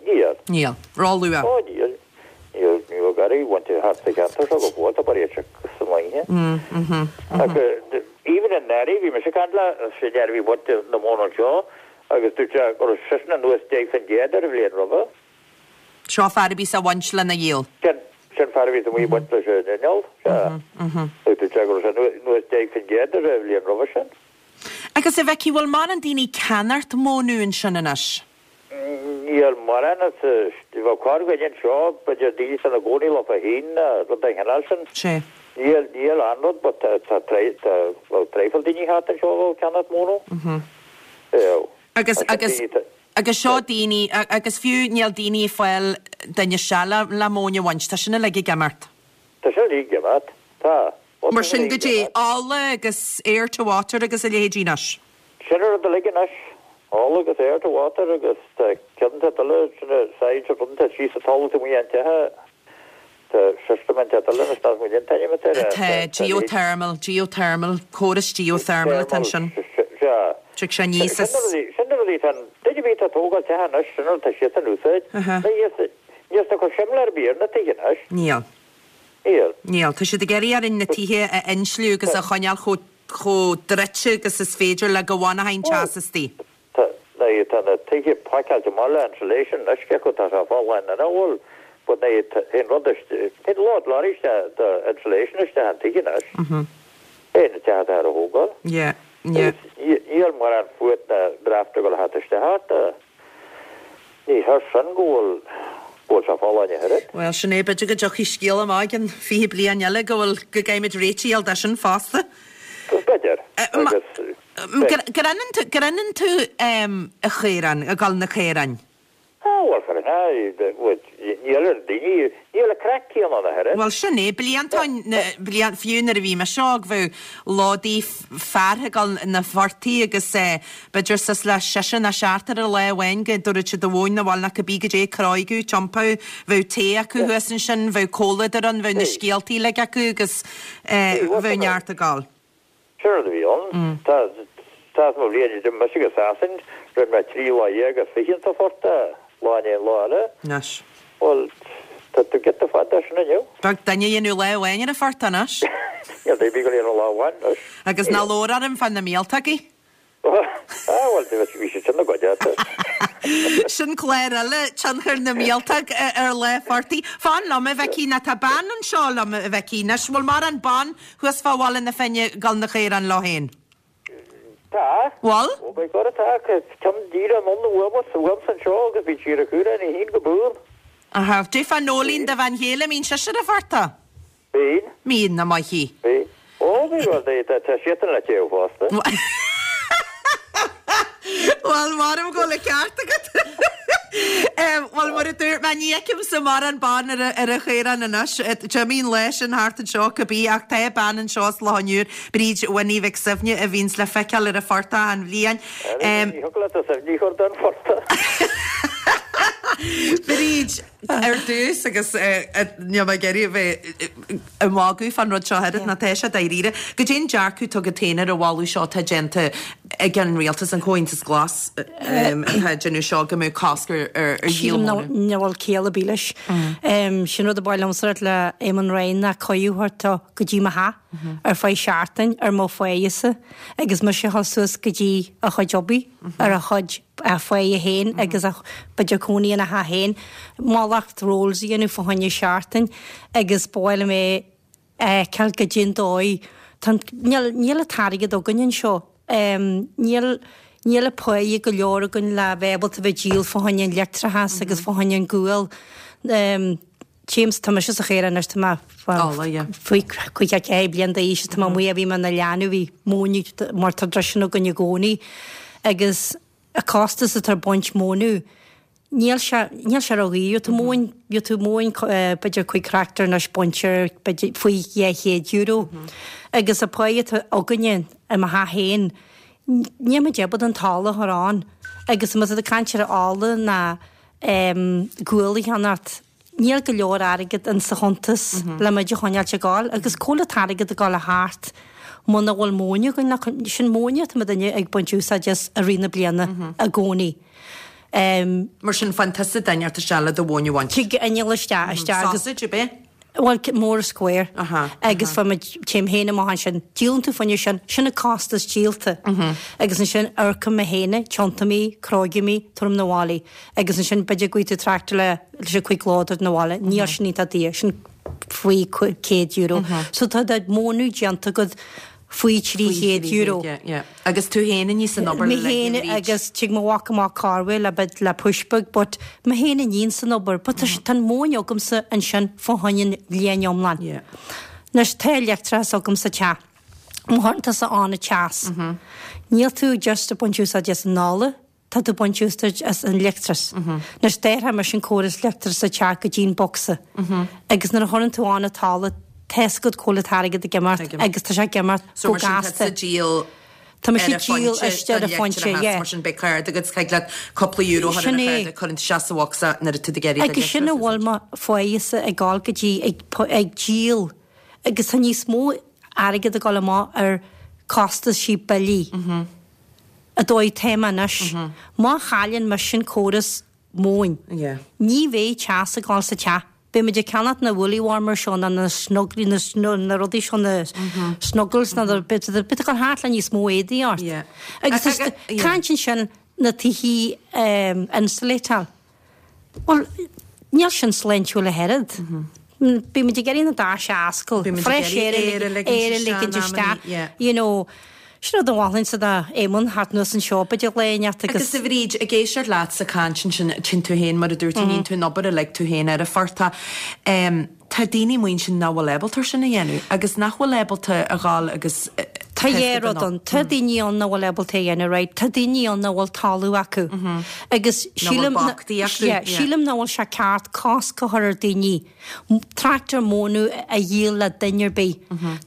Níl. Níl. Ró-luath. Ó, níl. Níl, níl garraí bainte thart sa cheantar seo go fóill, tá barraíocht sa mbainne. Ach even in nDerry, bhí mise ag caint le sin a bhí ag baint na móna anseo agus dúirt sé go raibh seisean anuas deich faoin gcéad ar an bhliain roimhe. Seo fear a bhíos á bhaint lena dhíol. Sin, sin fear a bhíos amuigh ag baint leis an inneall, sea. Agus dúirt sé go raibh sé anuas deich faoin gcéad ar an bhliain roimhe sin. Agus a Mhicí, bhfuil mórán daoine ag ceannacht mónadh ansin anois? Níl mórán as, bheadh corrdhuine anseo, b'fhéidir daoine atá ina gcónaí leofa féin ná rud den chineál sin. Sea. Níl, níl aon rud but tá, tá, tá, bheadh traidhfil daoine thart anseo a bheadh ag ceannacht móna. Bheadh. Agus, agus, agus seo daoine, agus fiú níl daoine ag fáil duine isteach le, le móin a bhaint, tá sin uilig ag imeacht. Tá sin uilig ag imeacht, tá. Mar sin goidé, ola agus air to water agus a leithéidí anois. Sin an rud uilig anois, ola agus air to water agus tá ceann inteacht eile, sin a said rud inteacht síos sa talamh taobh amuigh den teach, tá system inteacht eile anois nach bhfuil aon t-ainm atá air. Tá geothermal, geothermal, córas geothermal atá ansin. Sea. Tig sé aníos as. Sin na rudaí atá, duine ar bith atá ag tógáil teach anois, sin an rud atá siadsan a úsáid. Níl siad ag cur simléar ar bith ar na tithe anois. Níl. Níl. Níl. Tá siad ag iarraidh orainn na tithe a insliú agus a choinneáil chomh chomh druidte agus is féidir le go bhfanfadh an teas istigh. Tá, tá na tithe pacáilte amach le insulation anois, cé acu tá sé folláin nó nach bhfuil, but ní haon rud istigh, théann load lorry isteach de insulation isteach an tigh anois. É na tithe atá ar a thógáil. Yeah, yeah. Agus níl mórán fuacht ná draft ag dul thart isteach ort. Ní hé sin go bhfuil go bhfuil sé folláin a thuilleadh. Bhuel, sin é, b'fhéidir go dtiocfaidh scéal amach i gcionn fiche bliain eile go bhfuil, go gcaithfimid réiteach a fháil de sin fosta. B'fhéidir, agus. Grinneann tú a chaoráin, ag dul na caoráin? Á, bhuel, fara níl ar daoine, níl a craic céanna ann a thuilleadh. Bhuel, sin é, blianta, bliain, fiú nuair a bhí mise óg, bheadh lódaí fear ag dul na phortaigh agus b'fhéidir suas le seisear nó seachtar ar lá amháin go dtabharfadh siad a mhóin 'na bhaile nó cibé goidé cróigeadh, tiompú, bheadh tae acu thuas ansin, bheadh comhluadar ann, bheadh na scéaltaí uilig acu agus bheadh neart ag dul. Sin rud a bhí ann. Tá tá mo bhliain idir mise agus Sasain, rinne mé trí lá dhéag agus fiche sa phortach, lá i ndiaidh lá eile. Anois. Bhuel, tá tú giota fada sin inniu. Beag duine a dhéanadh lá amháin ar an phortach anois. Níl duine ar bith ag dul ar lá amháin anois. Agus ná labhair orm fá na míoltógaí. Ah, bhuel, bhí siad sin na gcuid ata. Sin clár eile, tionchar na míoltóg ar lá phortaigh. Fan liom, a Mhicí, nó tá bean anseo liom, a Mhicí. Anois, bhfuil mórán ban thuas fá Bhaile na Finne ag dul na caoráin leo féin? Tá. Bhfuil? Ó, by God tá, ceann díreach anonn uaimse, uaimse anseo agus bhí sí ar a caoráin í féin go buan. Aha, dé fá Nóilín do bhean chéile, mbíonn sise ar an phortach? Bíonn. Mbíonn, nach maith í. Bíonn. Ó, by God, tá siadsan le téamh fosta. Bhuel, maram go bhfuil an ceart agat. Bhuel, mar a dúirt mé, ní fheicimse mórán ban ar ar an chaorán anois. D'imigh an lá sin thart anseo cibé, ach tá bean anseo as Loch an Iúir, Bríd Winnie Mhic Suibhne, a bhíonns le feiceáil ar an phortach achan bhliain. Ní thiocfadh leat a Suibhne a chur den phortach. Bríd, ar dtús agus níl mé ag iarraidh a bheith ag magadh fán rud seo oiread ná tá sé dáiríre. Goidé an dearcadh atá agat féin ar an mholadh seo atá déanta ag an rialtas, an Comhaontas Glas atá ag déanamh seo go mbeadh cosc ar ar dhíol Sílim móna. nach bhfuil ciall ar bith leis. Sin rud a ba mhaith liomsa a rá le Eamon Ryan ná cuireadh thart go dtí mo theach ar feadh seachtain ar mo pháighe-sa agus mise a dhul suas go dtí a chuid oibre ar a chuid a pháighe féin agus a b'fhéidir cónaí ina theach féin mallacht rolls a dhéanamh fá choinne seachtain agus ba mhaith liom é a fheiceáil goidé an dóigh. Tá níl níl an t-airgead againn anseo. Níl níl an pháighe go leor againn le bheith ábalta bheith díol fá choinne an leictreachas agus fá choinne an gual. James, tá mise sa chéir anois, tá mé faoi caoga ceathair bliain d'aois, tá mé amuigh a bhí mé ina leanbh, bhí móin mar tá dreiseanna againn i gcónaí agus a costas atá ar baint mónadh, níl sé níl sé ró-dhaor. Tú móin tú móin b'fhéidir cúig tractor anois bainte b'fhéidir faoi dhá chéad euro. Agus a pháighe atá againne i mo theach féin, níl muid ábalta an t-ola a chur ann. Agus má tá tú ag caint ar ola ná gual a cheannacht, níl go leor airgead in sa chuntas le muid a choinneáilt ag gabháil agus cá bhfuil an t-airgead ag gabháil a theacht muna bhfuil móin againn le sin móin atá muid duine ag baint úsáid as i rith na bliana i gcónaí. Um, Mar sin faigheann tusa duine ort isteach le do mhóin a bhaint. Tig inneall isteach isteach agus Sausage ar bith? Bhuel mór square Aha, agus fá muid téim féin amach ansin díolann tú fuinneamh sin sin an costas díolta agus ansin amharcaim mé féin tiontaím í crógaim í tabhairim na bhaile agus ansin b'fhéidir go bhfaighidh tú tractor le leis an cúig lódar na bhaile níl sin iontach daor sin faoi céad euro so tá do mhónú déanta agat faoi trí chéad euro. Agus tú féin a níos an obair Mé féin agus tig mo mhac amach corruair le bit le pushbag, but mé féin a níonn san obair, but tá tá an mhóin agamsa ansin fá choinne an bhliain iomlán. Anois tá leictreachas agam sa teach. Má chuireann tusa ann an teas. Níl tú just ag baint úsáid as an ola, tá tú ag baint úsáid as an leictreachas. Anois déarfaidh mise an córas leictreachas sa teach go dtí an bocsa. Agus nuair a chuireann tú ann an t-ola, tá a fhios agat cá bhfuil an t-airgead ag imeacht agus tá sé ag imeacht So go mar sin tá gasta. sa díol Tá mé ar sí a díol phointe istigh ar don a phointe, leictreachas, yeah. mar sin beidh card agat thig leat cúpla euro a chur ar Sin a é. chard a chuireann tú isteach sa bhocsa nuair atá tú ag iarraidh do Agus sin a leictreachas bhfuil mo pháighe-sa ag gabháil go dtí ag pu- ag díol agus tá níos mó airgead ag dul amach ar costaisí billí. A dóigh téama anois. Má chailleann mise an córas móin. Yeah. Ní bheidh teas ag gabháil sa teach. Beidh muid ag ceannacht na woolly warmer seo na na snugly na snu- na rudaí seo na snuggles na bit bit ag thart le níos mó éadaí ort. Yeah. Agus Ag- ag- yeah. caint sin na tithí um, insulatáil. Well, níl sin sláintiúil a oiread. Bí muid ag iarraidh na doirse a oscailt, Bímid ag fresh iarraidh air aer a a ligint aer a isteach ligint in isteach, amannaí, yeah. you know, sin rud a mholfainn sa dá Éamonn thart anuas anseo b'fhéidir le neart Agus agus a Bhríd, ag éisteacht leat sa chaint sin tinn tú féin mar a dúirt tú níonn tú an obair a lig tú féin ar an phortach. Um, tá daoine muin sin nach bhfuil ábalta sin a dhéanamh agus nach bhfuil ábalta a ghabháil agus Tá Tá dhá rud ann. Tá daoine ann nach bhfuil ábalta a dhéanamh, right? Tá daoine ann nach bhfuil talamh acu. Agus sílim sílim nach bhfuil sé ceart cosc a chur ar daoine tractor mónadh a dhíol le duine ar bith.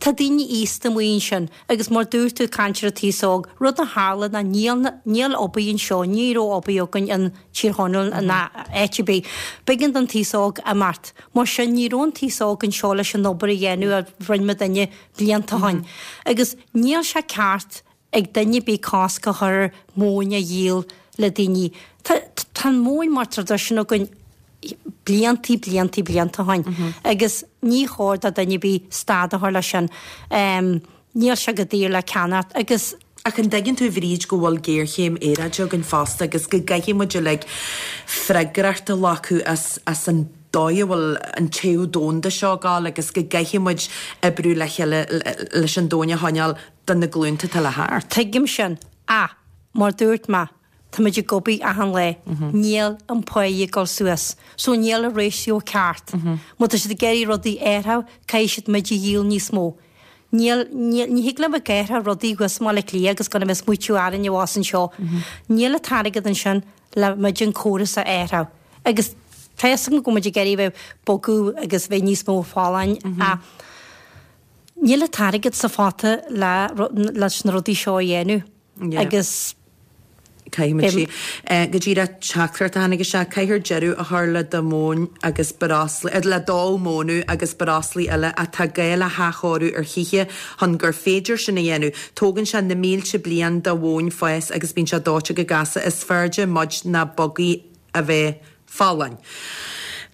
Tá daoine aosta amuigh ansin agus mar dúirt tú caint ar an t-aos óg, rud a tharla ná níl níl obair anseo, ní raibh obair againn in Tír Chonaill ná áit ar bith. B'éigean don t-aos óg imeacht. Mar sin ní raibh an t-aos óg anseo leis an obair a dhéanamh a rinne muidinne blianta ó shin. Agus níl sé ceart ag duine ar bith cosc a chur ar mhóin a dhíol le daoine. Tá tá an mhóin mar traidisiún againn bliantaí, bliantaí, blianta ó shin agus ní chóir do duine ar bith stad a chur leis sin. Níl sé go daor le ceannacht agus. Ach an dtuigeann tú, a Bhríd, go bhfuil géarchéim aeráide againn fosta agus go gcaithfidh muid uilig freagracht a ghlacadh as as an dóigh a bhfuil an téamh domhanda seo ag gabháil agus go gcaithfidh muid oibriú le chéile leis an domhan a choinneáil do na glúnta atá le theacht. Tuigim sin. Ach, mar dúirt mé, tá muid ag obair achan lá. Níl an pá ag dul suas. So níl an ratio ceart. Má tá siad ag iarraidh rudaí a athrú, caithfidh siad muid a dhíol níos mó. Níl, níl, ní thig liom ag athrú rudaí thuas i mBaile Átha Cliath agus gan a bheith ag smaoitiú orainn abhus anseo. Níl an t-airgead ansin le muid an córas a athrú. Agus tá fhios agam go bhfuil muid ag iarraidh bheith bogadh agus bheith níos mó folláin ach níl an t-airgead sa phota le leis na rudaí seo a dhéanamh. Agus. Caithfidh muid sí. Go díreach teachtaireacht a tháinig isteach, caithfear deireadh a chur le dó móin agus breoslaí, le dó mónadh agus breoslaí eile ach tá gá le hathchóiriú ar thithe chun gur féidir sin a dhéanamh. Tógann sé na mílte bliain do mhóin fás agus bíonn sé dóite go gasta. Is fearrde muid ná bogaigh a bheith folláin.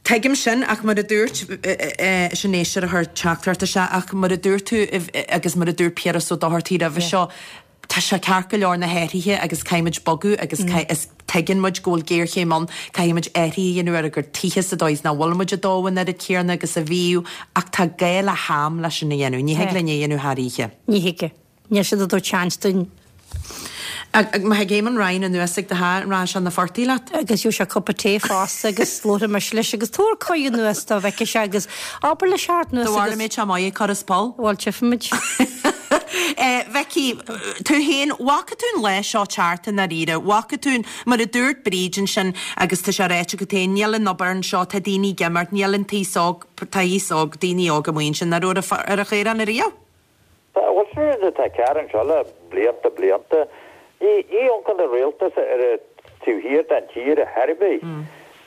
Tuigim sin ach mar a dúirt, sin éisteoir a chuir teachtaireacht isteach, ach mar a dúirt tú agus mar a dúirt Piaras Ó Dochartaigh roimhe seo, tá sé ceart go leor na hathruithe agus caithfidh muid bogadh agus is tuigeann muid go bhfuil géarchéim ann, caithfidh muid athruithe a dhéanamh ar ár gcuid tithe sa dóigh is nach bhfuil muid ag dó an oiread céanna agus a bhíodh ach tá gá le ham leis sin a dhéanamh. Ní thig linn é a dhéanamh thar oíche. Ní thig. Níl siad ag tabhairt seans dúinn. Má thig Éamon Ryan anuas ag do theach, an rachaidh sé 'na phortaigh leat? Agus gheobhaidh sé cupa tae fosta agus labharfaidh mise leis agus tabhair cuireadh anuas dó bhfeicfidh sé agus abair leis theacht anuas Do bharr agus. sé maith ag cur as poll? Bhuel, tchífimid. Mhicí, tú féin, bhfaca tú an lá seo teacht i ndáiríre? Bhfaca tú, mar a dúirt Bríd ansin agus tá sé ráite agat féin, níl an obair anseo, tá daoine ag imeacht, níl an t-aos óg, tá aos óg, daoine óga amuigh ansin, nach raibh ar an chaorán ariamh? Tá, bhuel, sin rud atá cearr anseo le blianta, blianta. Ní, ní amharcann an rialtas ar an taobh thiar den tír ar chor ar bith.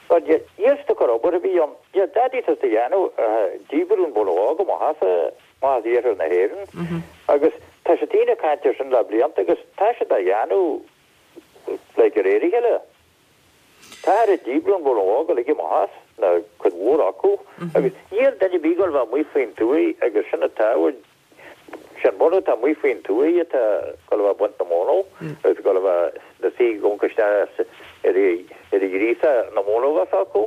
But níl siad ag cur obair ar bith ann. Níl dadaí tá siad a dhéanamh ach díbriú an bhunadh óg amach as, amach as iarthar na hÉireann. Agus tá siad daoine ag caint air sin le blianta agus tá siad á dhéanamh like de réir a chéile. Táthar ag díbriú an bhunadh óg uilig amach as, nó cuid mhór acu. Agus níl duine ar bith ag gabháil a bheith amuigh faoin tuaith agus sin atá Sé an bunadh atá amuigh faoin tuaith atá ag gabháil a bheith ag baint na móna agus ag gabháil a bheith ina suí ag amharc isteach ar an ghríosa na móna a bheas acu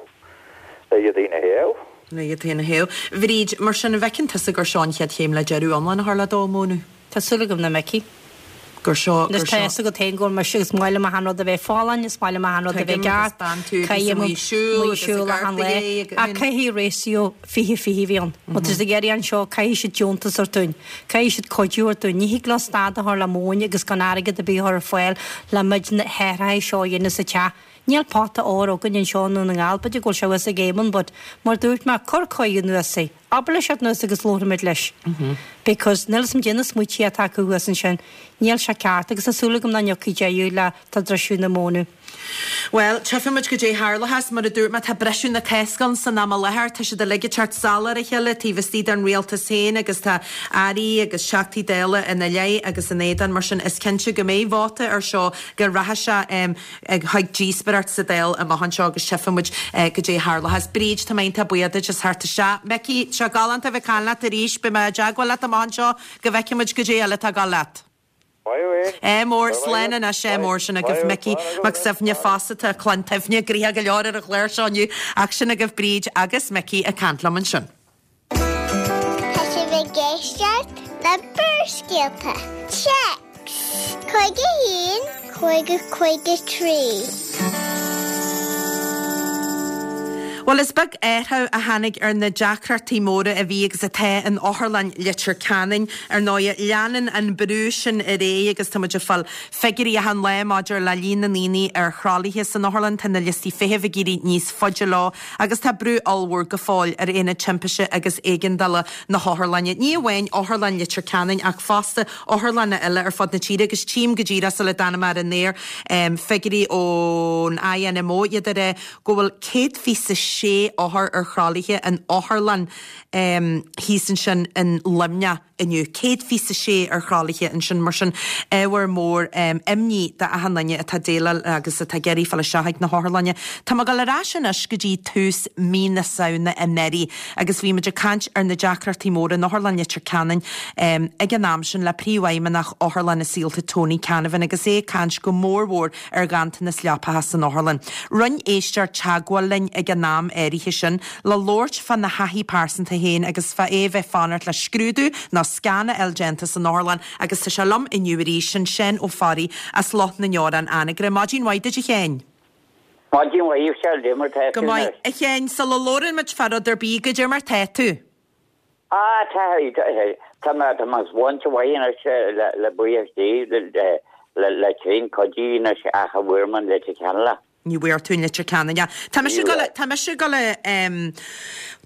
le iad féin a théamh. Le iad féin a théamh. Bhríd, mar sin, an bhfeiceann tusa gur seo an chéad chéim le deireadh iomlán a chur le dó móna? Tá súil agam nach mbeidh. Gur seo, gur Anois tá seo. fhios agat féin go bhfuil mise agus is maith liom achan rud a bheith folláin, is maith liom achan rud a bheith Tuigim, agus ceart, bean tú a bhíos caithfidh amuigh ag siúl amuigh agus ag siúl achan lá. gortaithe agus. Ach caithfidh ratio fiche fiche a bheith ann. Má tá siad ag iarraidh anseo, caithfidh siad deontas a thabhairt dúinn, caithfidh siad cuidiú a thabhairt dúinn. Ní thig leo stad a chur le móin agus gan airgead ar bith a chur ar fáil le muid na hathruithe seo a dhéanamh sa teach. Níl pota óir againn anseo i nDún na nGall, b'fhéidir go bhfuil sé thuas ag Éamonn but mar dúirt mé, cuir cuireadh anuas é. Abair leis theacht anuas agus labharfaimid leis. Because níl 'fhios a'm caidé na smaoití atá acu thuas ansin. Níl sé ceart agus tá súil agam nach ntiocfaidh deireadh le dódh na móna. Bhuel, tchífimid goidé tharlóchas. Mar a dúirt mé, tá briseadh na Cásca ann san am i láthair. Tá siad uilig ag teacht salach ar a chéile taobh istigh den rialtas féin agus tá airí agus teachtaí Dála ina leith agus ina éadan. Mar sin, is cinnte go mbeidh vóta ar seo, go rachaidh sé chuig díospóireacht sa Dáil amach anseo agus tchífimid goidé tharlóchas. Bríd, tá mé iontach buíoch duit as theacht isteach. Micí, tá sé galánta a bheith ag caint leat arís. Beidh mé i dteagmháil leat amach anseo go bhfeicfimid goidé eile atá ag gabháil leat. Ádh mór, slán anois, ádh mór, sin agaibh Micí Mac Suibhne fosta, tá clann tSuibhne gnoitheach go leor ar an chlár seo inniu ach sin agaibh Bríd agus Micí ag caint liom ansin. Tá sibh ag éisteacht le Barrscéalta. Téacs cúig a haon, cúig a cúig a trí. Bhuel, is beag athrú a tháinig ar na deacrachtaí móra a bhí agus atá in Otharlann Leitir Ceanainn. Ar ndóigh, leanann an brú sin ar aghaidh agus tá muid ag fáil figiúirí achan lá maidir le líon na ndaoine ar thralaithe san otharlann. Tá na liostaí feithimh ag éirí níos faide leo agus tá brú ollmhór go fóill ar Aonad Timpiste agus Éigeandála na hotharlainne. Ní amháin Otharlann Leitir Ceanainn ach fosta otharlanna eile ar fud na tíre agus tchím go díreach sula dtáinig mé ar an aer figiúirí ón I N M O iad ag rá go bhfuil céad fiche sé othar ar thralaithe in otharlann thíos ansin in Luimneach inniu. Céad fiche sé ar thralaithe ansin, mar sin ábhar mór imní d'achan duine atá ag déileáil agus atá ag iarraidh fáil isteach ag na hotharlainne. Tá mé ag dul ar ais anois go dtí tús mí na Samhna anuraidh agus bhí muid ag caint ar na deacrachtaí móra in Otharlann Leitir Ceanainn ag an am sin le Príomhfheidhmeannach Otharlann na Saolta Tony Canavan agus é ag caint go mórmhór ar ghanntanas leapacha san otharlann. Rinne éisteoir teagmháil linn ag an am áirithe sin le labhairt fána thaithí pearsanta féin agus fá é bheith fanacht le scrúdú nó scan a fháil déanta san otharlann agus tá sé liom inniu arís sin Seán Ó Fearraigh as Loch na nDeor, Anagaire. Maidin mhaith duit, a Sheáin. Maidin mhaith, Michelle, cad é mar tá Go maith, a Sheáin, sula labhrann muid fá rud ar bith, goidé mar tá tú. Ah, tá tá mé tá mé sláinte mhaith anois le le buíochas Dé le le le tréan cuidiú anois ach a bhfuair mé in Leitir Ceanainn. Ní bhfuair tú in Leitir Ceanainn. Tá mise ag tá mise ag dul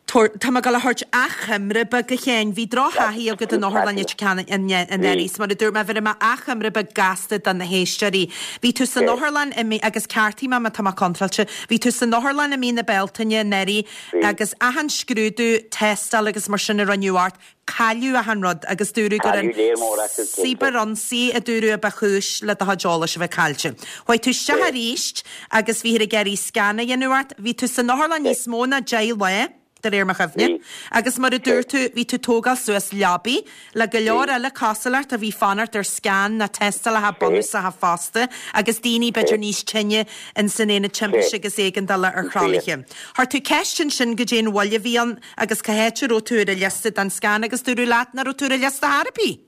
Tá mé ag dul a thabhairt achoimre beag, a Sheáin, bhí drochthaithí agat in Otharlann Leitir Ceanainn anuraidh, mar a dúirt mé, bhéarfaidh mé achoimre beag gasta do na héisteoirí. Bhí tú san otharlann i mí, agus ceartaigh mé má tá mé contráilte, bhí tú san otharlann i mí na Bealtaine anuraidh agus achan scrúdú, tástáil agus mar sin a rinneadh ort, cailleadh achan rud agus dúradh gur an cibearionsaí a dúradh a ba chúis le do chuid eolais a bheith caillte. Chuaigh tú isteach arís agus bhíothar ag iarraidh scan a dhéanamh ort. Bhí tú san otharlann níos mó ná deich lá, de réir mo chuimhne, agus mar a dúirt tú, bhí tú tógáil suas leabaí le go leor eile cosúil leat a bhí fanacht ar scan ná tástálacha bunúsacha fosta agus daoine b'fhéidir níos tinne in san aonad timpiste agus éigeandála ar thralaithe. Chuir tú ceist ansin goidé an mhoill a bhí ann agus cá háit a raibh tú ar an liosta don scan agus dúradh leat nach raibh tú ar an liosta ar bith.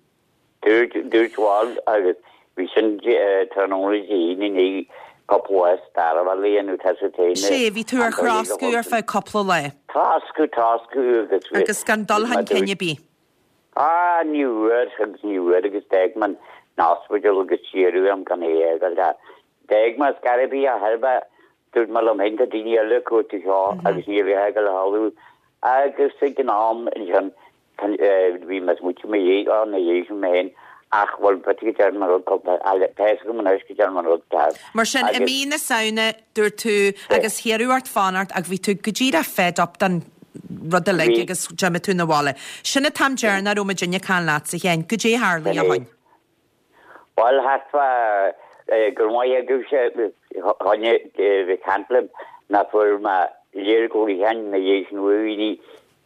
Dúirt dúirt bhuel agus bhí sin tráthnóna Dé hAoine i ndiaidh cúpla lá stair a dhéanamh tá sa téine. Sé, bhí tú ar throscadh ar feadh cúpla lá. Troscadh, troscadh agus Agus gan dul chun cinn ar bith. Ah, ní bhfuair agus ní bhfuair agus d'fhág mé an ospidéal agus siarú am gan é a fhágáil. D'fhág mé scor ar bith a thairbhe dúirt mé liom féin tá daoine eile ag cuartú seo agus ní bheidh ag le hálú agus ag an am ansin bhí mé smaoitiú mé dhiaidh á na dhiaidh sin mé féin ach bhuel b'fhéidir go dtearn mé rud cúpla tá fhios agam anois go dtearn mé rud ceart. Mar sin, i mí na Samhna, dúirt tú, agus hiarradh ort fanacht ach bhí tú go díreach fed up den rud uilig agus d'imigh tú 'na bhaile. Sin an t-am deireanach a raibh muidinne ag caint leatsa, a Sheáin. Goidé a tharlaigh ó shin? Bhuel, thart fá gur maith agaibhse choinne bheith caint libh ná fuair mé léir ghlaocháin na dhiaidh sin uaidh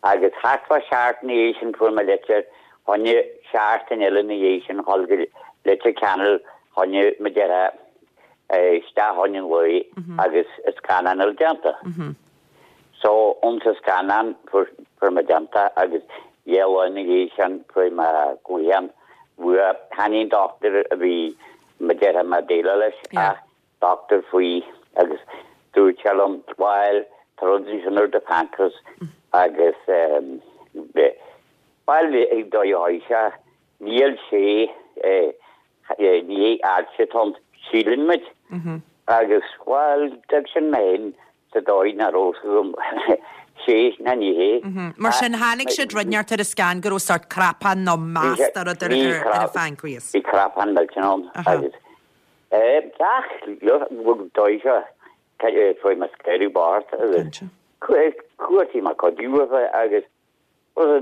agus thart fá seachtain ina dhiaidh sin fuair mé litir choinne seachtain eile ina dhiaidh sin dhul go Leitir Ceanainn choinne mo dheartháir isteach chun an lae agus a scannán eile déanta. So ionsa scannán fuair fuair mé déanta agus dhá lá ina dhiaidh sin fuair mé glaochán uaidh chan é an dochtúir a bhí mo dheartháir mé déileáil leis ach dochtúir faoi agus dúirt sé liom bhuel tá rud ansin ar do pancreas agus bhuel ag dóigh a sé níl sé ní ailse atá ann síleann muid agus bhuel d'fhág sin mé féin sa dóigh nach raibh fhios agam sé ná ní hé. Mar sin tháinig siad rud inteacht ar an scan go raibh sórt cnapán nó mass de rud ar ar an phancreas. Bhí cnapán millteanach ann agus ach dóigh seo fuair mé scaoileadh bart agus chuartaigh mé cuidiú uathu agus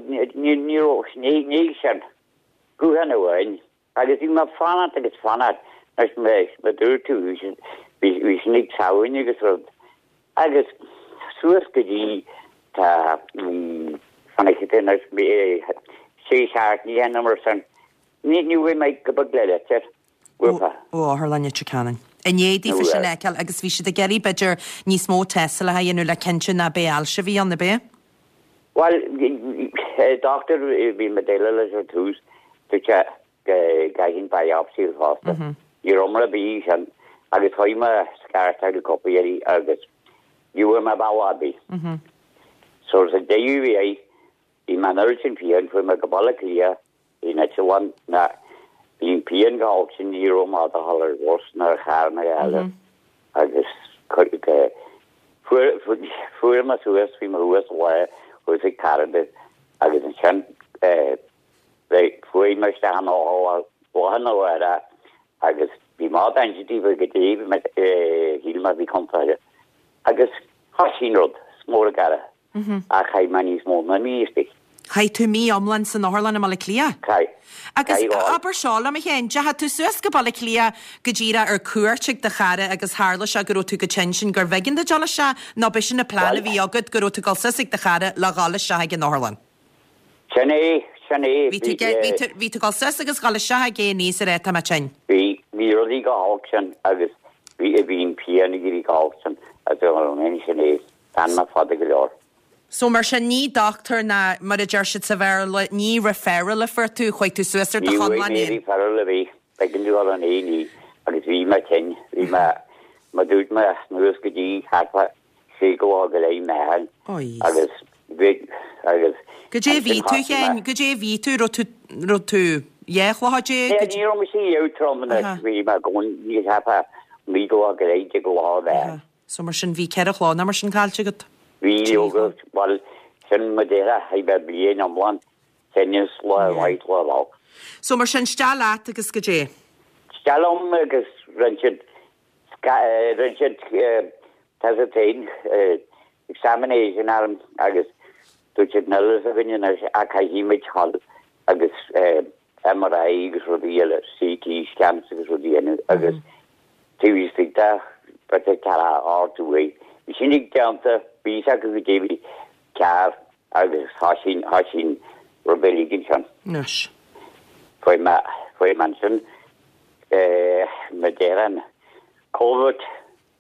ní ní raibh ní sin guthán amháin agus bhí mé fanacht agus fanacht leis mé me dúirt tú bhí bhí sin ag Samhain agus rud agus suas go dtí tá fanaic anois sé seachtaine nó mar sin ní ní bhfuil mé go beag le litir uathu. Ó Otharlann Leitir Ceanainn. I ndiaidh daofa sin a fheiceáil agus bhí siad ag iarraidh b'fhéidir níos mó tástálacha a dhéanamh le cinntiú nach b'é ailse a bhí ann, ab é? Bhuel, dochtúir bhí mé déileáil leis ar tús, dúirt sé go gcaithfinn biopsy fosta. Ní raibh mar a bhí sin agus chuaigh mé scartáil cúpla iarraidh agus Ní bhfuair mé bealach ar bith. So sa deireadh bhí é, bhí mé an oiread sin pian, chuaigh mé go Baile Átha Cliath i n-eitleán, na, bhí an pian chomh holc sin ní raibh mé ábalta dhul ar bhus ná ar charr ná a dhath eile agus fuair, fuair mé suas, bhí mé thuas lá thuas ag cara domh agus ansin eh, fuair mé isteach in otharlann lá arna mhárach agus bhí mé dainséar go dtí bhí mé eh, shíl mé bhí contráilte. Agus thosaigh an rud, is mór an cara. Ach chaith mé níos mó ná mí istigh. Chaith tú mí iomlán san otharlann i mBaile Átha Cliath? Chaith. Agus Chaith dhá. abair seo liom, a Sheáin, deachaigh tú suas go Baile Átha Cliath go díreach ar cuairt ag do chara agus tharla sé go raibh tú chomh tinn sin gurbh éigean duit dul isteach, nó b'shin an plean a bhí agat go raibh tú ag dul suas ag do chara le dhul isteach ag an otharlann? Sin é, sin é. Bhí tú, bhí tú, bhí tú ag dul suas agus dhul isteach ag é níos ar é tá mé tinn. Bhí, bhí rudaí chomh holc sin agus bhí, bhí an pian ag éirí chomh holc sin agus bhí sin é, d'fhan mé fada go leor. So mar sin ní dochtúir ná mar a deir siad sa Bhéarla ní referral a fuair tú, chuaigh tú suas ar do Ní bhfuair chonlán mé féin? referral a bhí, b'éigean dom dhul in A and E agus bhí mé tinn, bhí mé, mar dúirt mé anuas go dtí thart fá sé go go leith meán agus bhí, agus Goidé bhí tú Sheáin, goidé bhí tú, raibh tú, raibh tú dhá chloch déag? Ní ní raibh mise trom anois, bhí mé go ní thart fá naoi go go leith déag lá mheán. So mar sin bhí ceithre chlog nó mar sin caillte agat? Bhí leoga, bhuel, sin mo deireadh, chaith mé bliain iomlán, tinneas lá mhaith lá olc. So mar sin isteach leat agus goidé? Isteach liom agus rinne siad, rinne siad tá a fhios agat féin, examination orm agus dúirt siad níl a fhios againn anois ach caithfidh muid dhul agus MRI agus rudaí eile, CT scans agus rudaí eile agus taobh istigh de b'fhéidir ceathracha ocht uair. Bhí sin ag déanta, bhí a fhios acu goidé bhí cearr agus thosaigh, thosaigh an rud uilig ansin. Anois. Fuair mé, fuair mé ansin, mar déarfainn, Covid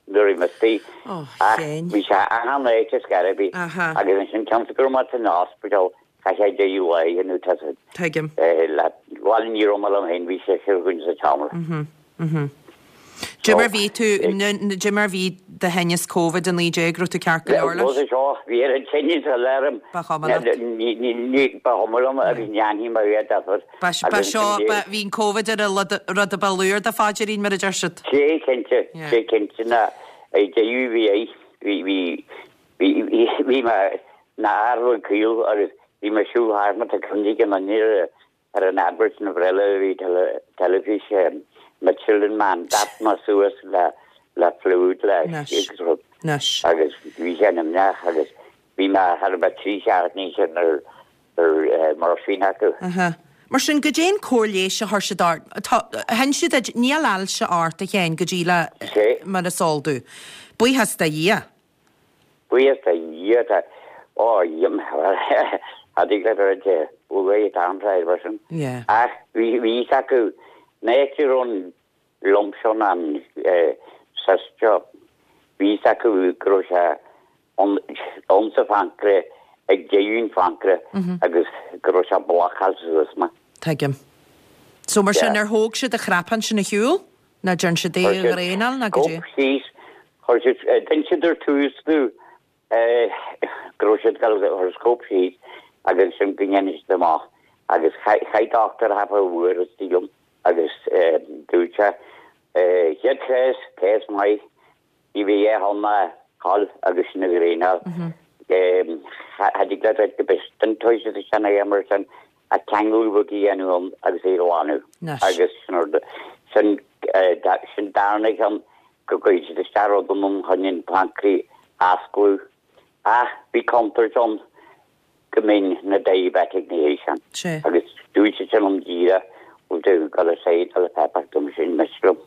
nuair a bhí mé istigh. Ach bhí sé achan áit ar scor ar bith. Agus ansin cionn is go raibh mé san ospidéal, chaith sé deich lá nó tá sé. Tuigim. Le, bhuel ní raibh mé liom féin, bhí seisear againn sa tseomra. Mhm. Dé mar bhí tú, dé mar bhí do thinneas Covid a naoi déag, raibh tú ceart go leor leis? Bhuel, seo, bhí ar an tinneas a léirm. Ba chuma leat. Ní, ní, ní, ba chuma liom agus ní dhéanfaidh mé a difear. Ba, ba seo, ba, bhí an Covid ar an rud a ba lú ar do phaidrín mar a deir siad. Sé cinnte, sé cinnte ná ag deireadh bhí é, bhí, bhí, bhí, bhí, bhí mé na fhear caol agus bhí mé siúl thart má tá cuimhne ag an duine ar, ar an advert na bhreile a bhí teilifís Michelin Man, d'at mé suas le, le fluid le agus rud. Agus bhí sé an-imníoch agus bhí mé thar a bheith trí seachtainí sin ar, ar morphine acu. Aha. Mar sin goidé an cóir leighis a chuir siad ort, tá, sheinn siad duit, níl ailse ort a Sheáin go dtí le, mar is eol domh. Buíochas do Dhia. Buíochas do Dhia tá, ó, cha dtig leat a rá uaidh an t-am mar sin. Yeah. Ach bhí, bhí fhios acu, an áit a raibh an lump sin an cyst seo, bhí fhios acu go raibh sé ann sa phancréas, ag deireadh an phancréas agus go raibh sé blocáilte suas mé. Tuigim. So mar sin ar thóg siad an cnapán sin ar shiúl? Ná dearn siad é a dhraenáil ná goidé? Scope síos, chuir siad, d'inis siad ar tús domh go raibh siad ag dul a scope síos agus ansin go ndéanfaidh siad amach agus chaith dochtúir thart fá uair istigh liom agus dúirt sé, chéad chás, cás maith, ní bheidh a dhath ann ná dhul agus sin a dhraenáil. Cha dtig leat rud go bith den toise is sin a dhéanamh mar sin ach ceangal beag a dhéanamh ann agus é a ghlanadh. Agus sin rud, sin, sin darna ceann go gcuirfidh siad isteach rud ann chun an pancréas a osclú. Ach bhí contúirt ann go mbeinn ina diabetic ina dhiaidh sin. Agus dúirt siad sin liom díreach, bhfuil tú ag dul ar side le pepper dom sin miste liom.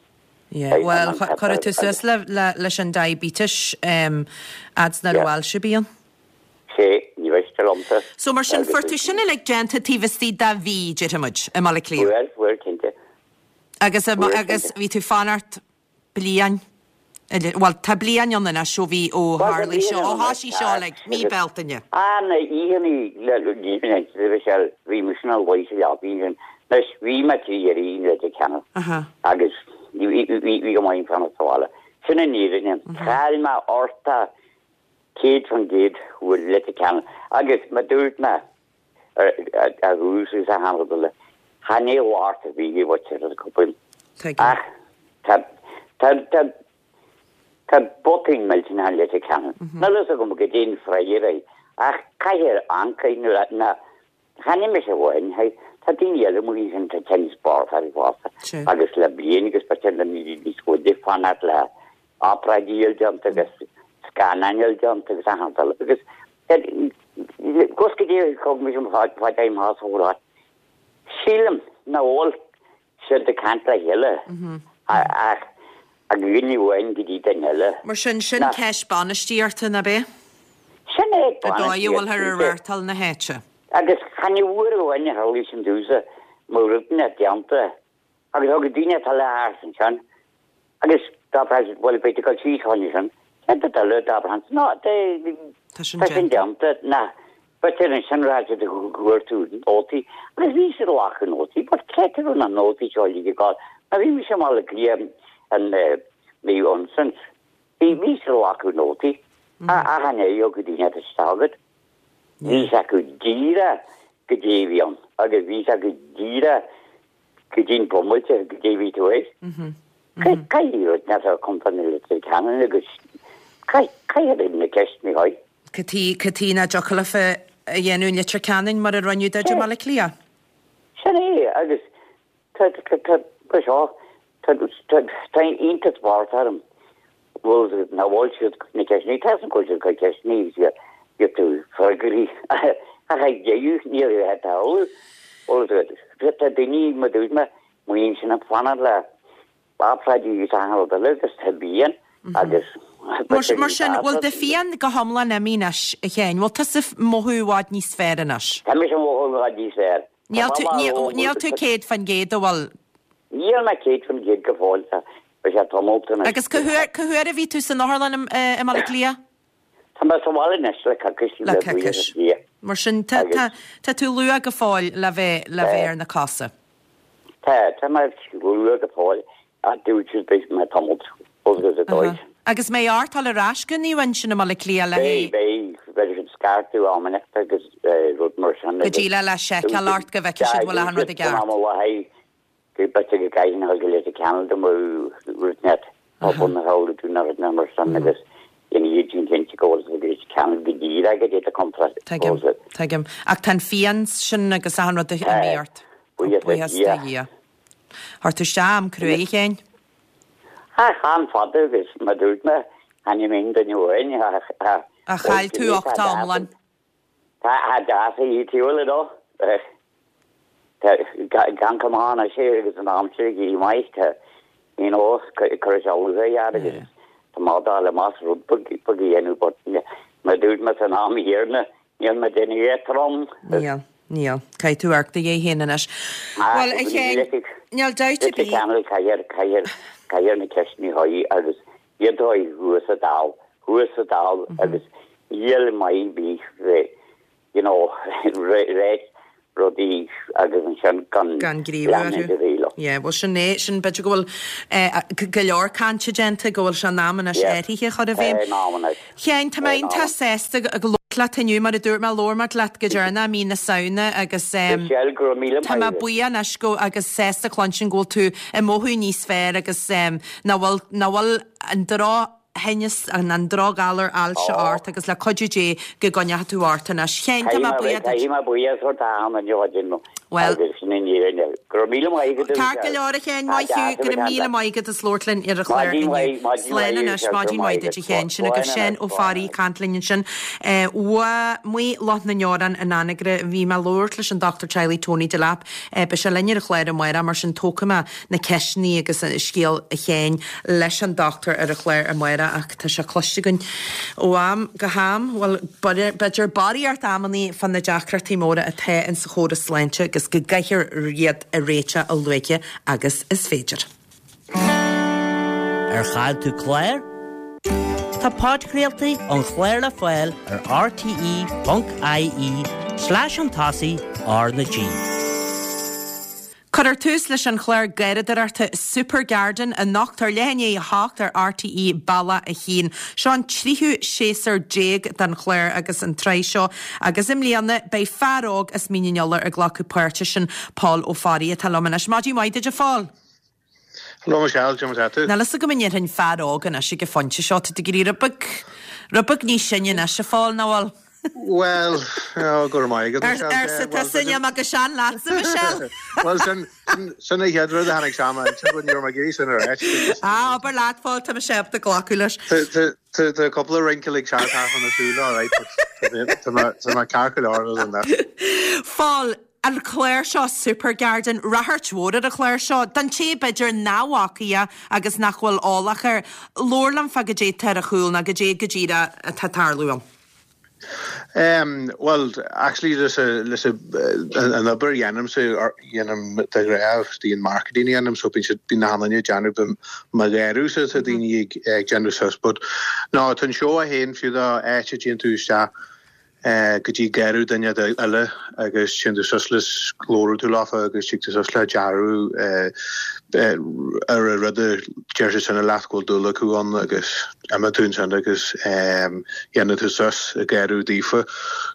Yeah, well, chuir tú suas le, le, leis an diabetes um, fhad is nach raibh ailse ar bith ann? Sé, ní mhiste liomsa. So mar sin, fuair tú sin uilig déanta taobh istigh de mhí, déarfaidh muid, i mBaile Átha Cliath? Fuair, fuair, cinnte. Agus, agus bhí tú fanacht bliain, bhuel, tá bliain ann anois ó bhí, ó tharlaigh seo, ó thosaigh seo like, mí Bealtaine. Ah, na oícheannaí, le, ní bhí sé, bhí mise ina luí sa leapaidh ansin. Anois, bhí mé trí iarraidh an Leitir Ceanainn agus bhí, bhí, bhí go maith fanacht sa bhaile. Sin an fhírinne. Chaill mé ortha céad faoin gcéad bhfuil Leitir Ceanainn agus mar dúirt mé ar thús is a tháinig le chan é lart a bhí i bhfuil ar cúpla ach tá tá tá tá botún millteanach Leitir Ceanainn. Níl a fhios agam goidé an freagra é ach caithfidh ancaí nó na chan é mise amháin tá daoine eile amuigh ansin tá tinneas barrach orthu fosta agus le bliain agus b'fhéidir le mí níos faide fanacht le obráidí a fháil déanta agus scannáin a fháil déanta agus achan rud eile agus gus go dtí thug mise mo fad im thás a Sílim nach bhfuil siad ag caint le chéile ach ag duine amháin go dtí duine eile. Mar sin, sin ceist bainistíochta, nach ea? Sin é An dóigh a bhfuilthear ag reáchtáil na háite. Agus chan é uair amháin a tharlaigh sin domhsa mo rudaí déanta agus thug daoine atá le thart ansin agus dá bhraith siad bhuel beidh tú ag dul síos chugainn sin céard a d'fhilleadh dá bhraith ná Tá sin tá sin déanta. déanta ná b'fhéidir ansin raibh siad ag cuartú nótaí agus bhí siad ag glacadh nótaí but cé raibh na nótaí seo uilig ag dul mar bhí mise i mBaile Átha Cliath an mí ansin bhí bhí siad ag glacadh nótaí achan uair a thiocfadh daoine isteach agat bhí sé acu díreach goidé a bhí ann agus bhí sé acu díreach go dtí'n bomaite goidé a bhí tú air. Caithfidh rud nach raibh contae Leitir Ceanainn agus caithfidh na ceisteanna a chur. Cad chuige nach dtiocfadh leofa a dhéanamh i Leitir Ceanainn mar a rinneadh duit i mBaile Átha Cliath? Sin é agus tá tá tá seo tá tá tá iontas mhór orm bhfuil nach bhfuil siad na ceisteanna tá an go bhfuil siad ceisteanna iad tú freagraí ach ag deireadh ní raibh tarlú bhfuil tá daoine mar dúirt mé muin sin ag fanacht le obráidí agus achan rud eile agus tá pian agus Mar mar sin bhfuil do phian go hiomlán imithe anois a Sheáin, bhfuil tusa ag mothú i bhfad níos fearr anois? Tá mise ag mothú i bhfad níos fearr. Níl tú níl tú céad faoin gcéad a bhfuil? Níl mé céad faoin gcéad go fóill tá beidh sé tamall anois. Agus cá huair cá huair a bhí tú san otharlann i mBaile Átha Cliath? Tá mé sa bhaile anois le coicís Le le buíochas coicís. Dé. Mar sin tá Agus tá tá tú luath go fóill le bheith le bheith ar na cosa. Tá tá mé luath go fóill ach dúirt siad beidh mé tamall agus a dóigh. Agus mé ártáil ar ais go Naomh Uinseann i mBaile Átha Cliath le Beidh haghaidh beidh beidh siad scairteadh amanna agus rud mar sin go agus dtí le le seiceáil ort go bhfeicfidh siad bhfuil achan rud i dúirt siad gceart. am mhaith go b'fhéidir go gcaithfinn a dhul go Leitir Ceanainn do mo rud net pobal na hAodh tú na rud mar sin agus ina dhiaidh sin cinnte go bhfuil go Leitir Ceanainn go díreach go dtí contra Tuigim, tuigim. Ach tá an phian sin agus achan rud imithe ort. Buíochas Buíochas le do Dia. Dhia. Chuir tú isteach am cruaidh a Sheáin? Ach an-fhada agus mar dúirt mé chan é mé duine amháin A chaill tú uchtá iomlán. Tá a deas a dhíotiúil dó. Gan cumán a sé agus an aimsir ag éirí maith tá you know chuir sé luath agus tá má le más rud beag a dhéanamh but mar dúirt mé san am chéanna níl mé déanamh trom. Níl, níl. Caithfidh tú amharc do dhéidh féin anois. Bhuel, a Sheáin, níl dabht ar bith. Ceanúil caithfidh caithfidh caithfidh na ceisteanna a chur agus iad a chur thuas sa Dáil thuas sa Dáil agus níl maith bí you know réit rudaí agus ansin gan gan gníomhú orthu. Yeah, well sin é sin b'fhéidir go bhfuil eh, go leor cainte déanta go bhfuil sé in am anois Yeah. athruithe a chur i bhfeidhm. Eh, in am anois. Sheáin, tá mé Eh, in am. iontach sásta ag labhairt leat inniu mar a dúirt mé labhair muid leat go deireanach mí na Samhna agus um, Michelle, go raibh míle Tá mé maith agat. buíoch anois go agus sásta cluinstin go bhfuil tú ag mothú níos fearr agus um, nach bhfuil nach bhfuil an drochthinneas an an drochghalar ailse Ó. ort agus le cuidiú Dé go gcoinneoidh tú ort anois. Sheáin, tá mé buíoch duit. Caithfidh mé buíochas a thabhairt an joidin Well- agus sin in Éirinn. Go raibh míle maith agat. Ceart go leor a Sheáin, maith thú, go raibh míle maith agat as labhairt linn ar an chlár Maidin inniu. mhaith, maidin Slán mhaith, anois, Michelle, maidin go mhaith raibh duit a maith Sheáin, agat. sin agaibh Slán Seán anois, Ó slán Fearraigh anois. caint linn ansin. Eh, Ua Maigh Loch na nDeorán in Anagaire, bhí mé ag labhairt leis an Dr Teaghlaigh Tony Delap, eh, beidh sé linn ar an chlár amárach mar sin tógfaidh mé na ceisteanna agus an scéal a Sheáin leis an dochtúir ar an chlár amárach ach tá sé cloiste againn ó am go ham, bhuel b'fhéidir barraíocht amannaí fan na deacrachtaí móra atá in sa chóras sláinte agus go gcaithfear iad a réiteach a luaithe agus is féidir. Ar chaill tú clár? Tá podchraoltaí an chláir le fáil ar rte.ie slash an tosaigh R na G. Cuirfear tús leis an chlár garraíodóireachta Super Garden anocht ar leath i ndiaidh a hocht ar RTÉ Bealach a haon. Seo an tríú séasúr déag den chlár agus an tsraith seo agus i mbliana beidh fear óg as Mín an Iolair ag glacadh páirte sin Paul Ó Fearraigh atá liom anois. Maidin mhaith duit a Phóil. Hello Michelle, cad é mar atá tú? Níl fhios agam an ndéarfainn fear óg anois ag an phointe seo, tá tú ag éirí rud beag rud beag níos sine anois a Phóil, nach bhfuil? Well, go raibh maith agat Michelle. Arsa tusa níl mé chomh sean leatsa Michelle. Well sin sin an chéad rud a tháinig isteach m'intinn ní raibh mé ag iarraidh sin a ráit. Ah, abair leat a Phóil tá mise ábalta glacadh leis. Tá cúpla wrinkle ag teacht thart na súile all right, but tá mé tá mé ceart go leor other than that. Phóil, an clár seo Super Garden, ráchairt mhór ar an chlár seo, don té b'fhéidir nach bhfaca é agus nach bhfuil eolach air, labhair liom fá goidé atá ar a chúl nó goidé go díreach atá ag tarlú ann. Um, well, actually leis a leis a an obair dhéanaimse dhéanaim de ghnáth the marketing dhéanaim so bíonn siad bíonn na hanna déanamh mo ghearú sa tá daoine ag ag déanamh suas, but no tá an seó a haon fiú dá áit a dtéann tú isteach eh, go dtí garraí duine eile agus téann tú suas le glórú tú leofa agus tig tú suas le dearadh eh, eh, ar a rud a deir siad sinna leat go bhfuil dúil acu ann agus imíonn tú ansin agus um, dhéanann tú suas i garraí daofa.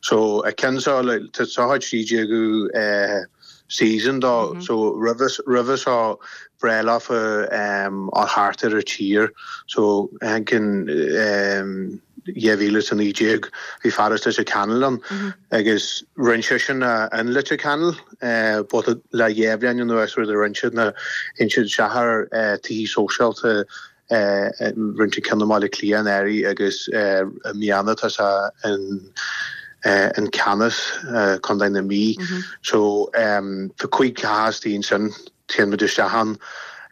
So a ceann seo le tá seo trí déagu eh, season dó mm -hmm. so roimhe roimhe seo breá leofa um, á thart ar a tír so an um, dhá mhíle is a naoi déag bhí fear as Leitir Ceanainn ann agus rinne sé sin an Leitir Ceanainn but le dhá bhliain anuas rud a rinne siad na in siad seathar tithe sóisialta rinne siad ceann i mBaile Átha Cliath anuraidh agus i mbliana tá sé in an Ceannas Contae na Mí. So um, tá cúig theach istigh sin téann muid isteach ann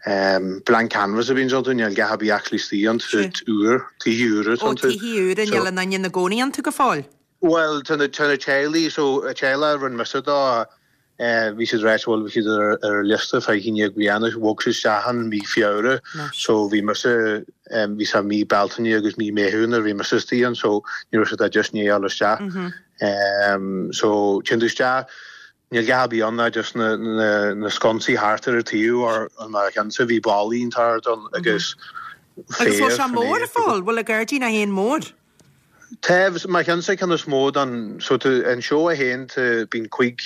um, blank canvas a bhíonn iontu níl a dhath ar bith actually istigh iontu úr tithe úr Ó tithe úr níl aon duine ina gcónaí iontu go fóill. Well tá na tá na teaghlaigh so a teaghlach rinne mise dó bhí siad rá bhfuil bhí siad ar ar liosta fá chinne bliana bhog siad isteach an mí Feabhra so bhí mise bhí sa mí Bealtaine agus mí Meitheamh nuair bhí mise istigh ann so ní raibh siad just ní isteach. Um, so téann tú isteach níl a dhath ar bith ann ná just na, na, na sconsaí thart ar an taobh ar an mar cheansa bhí ballaí thart ann agus Agus bhfuil sé mór a Phóil, bhfuil a gairdín a haon mór. Tá mar cheansa ceann is mó dan so tú an seó a haon bíonn cúig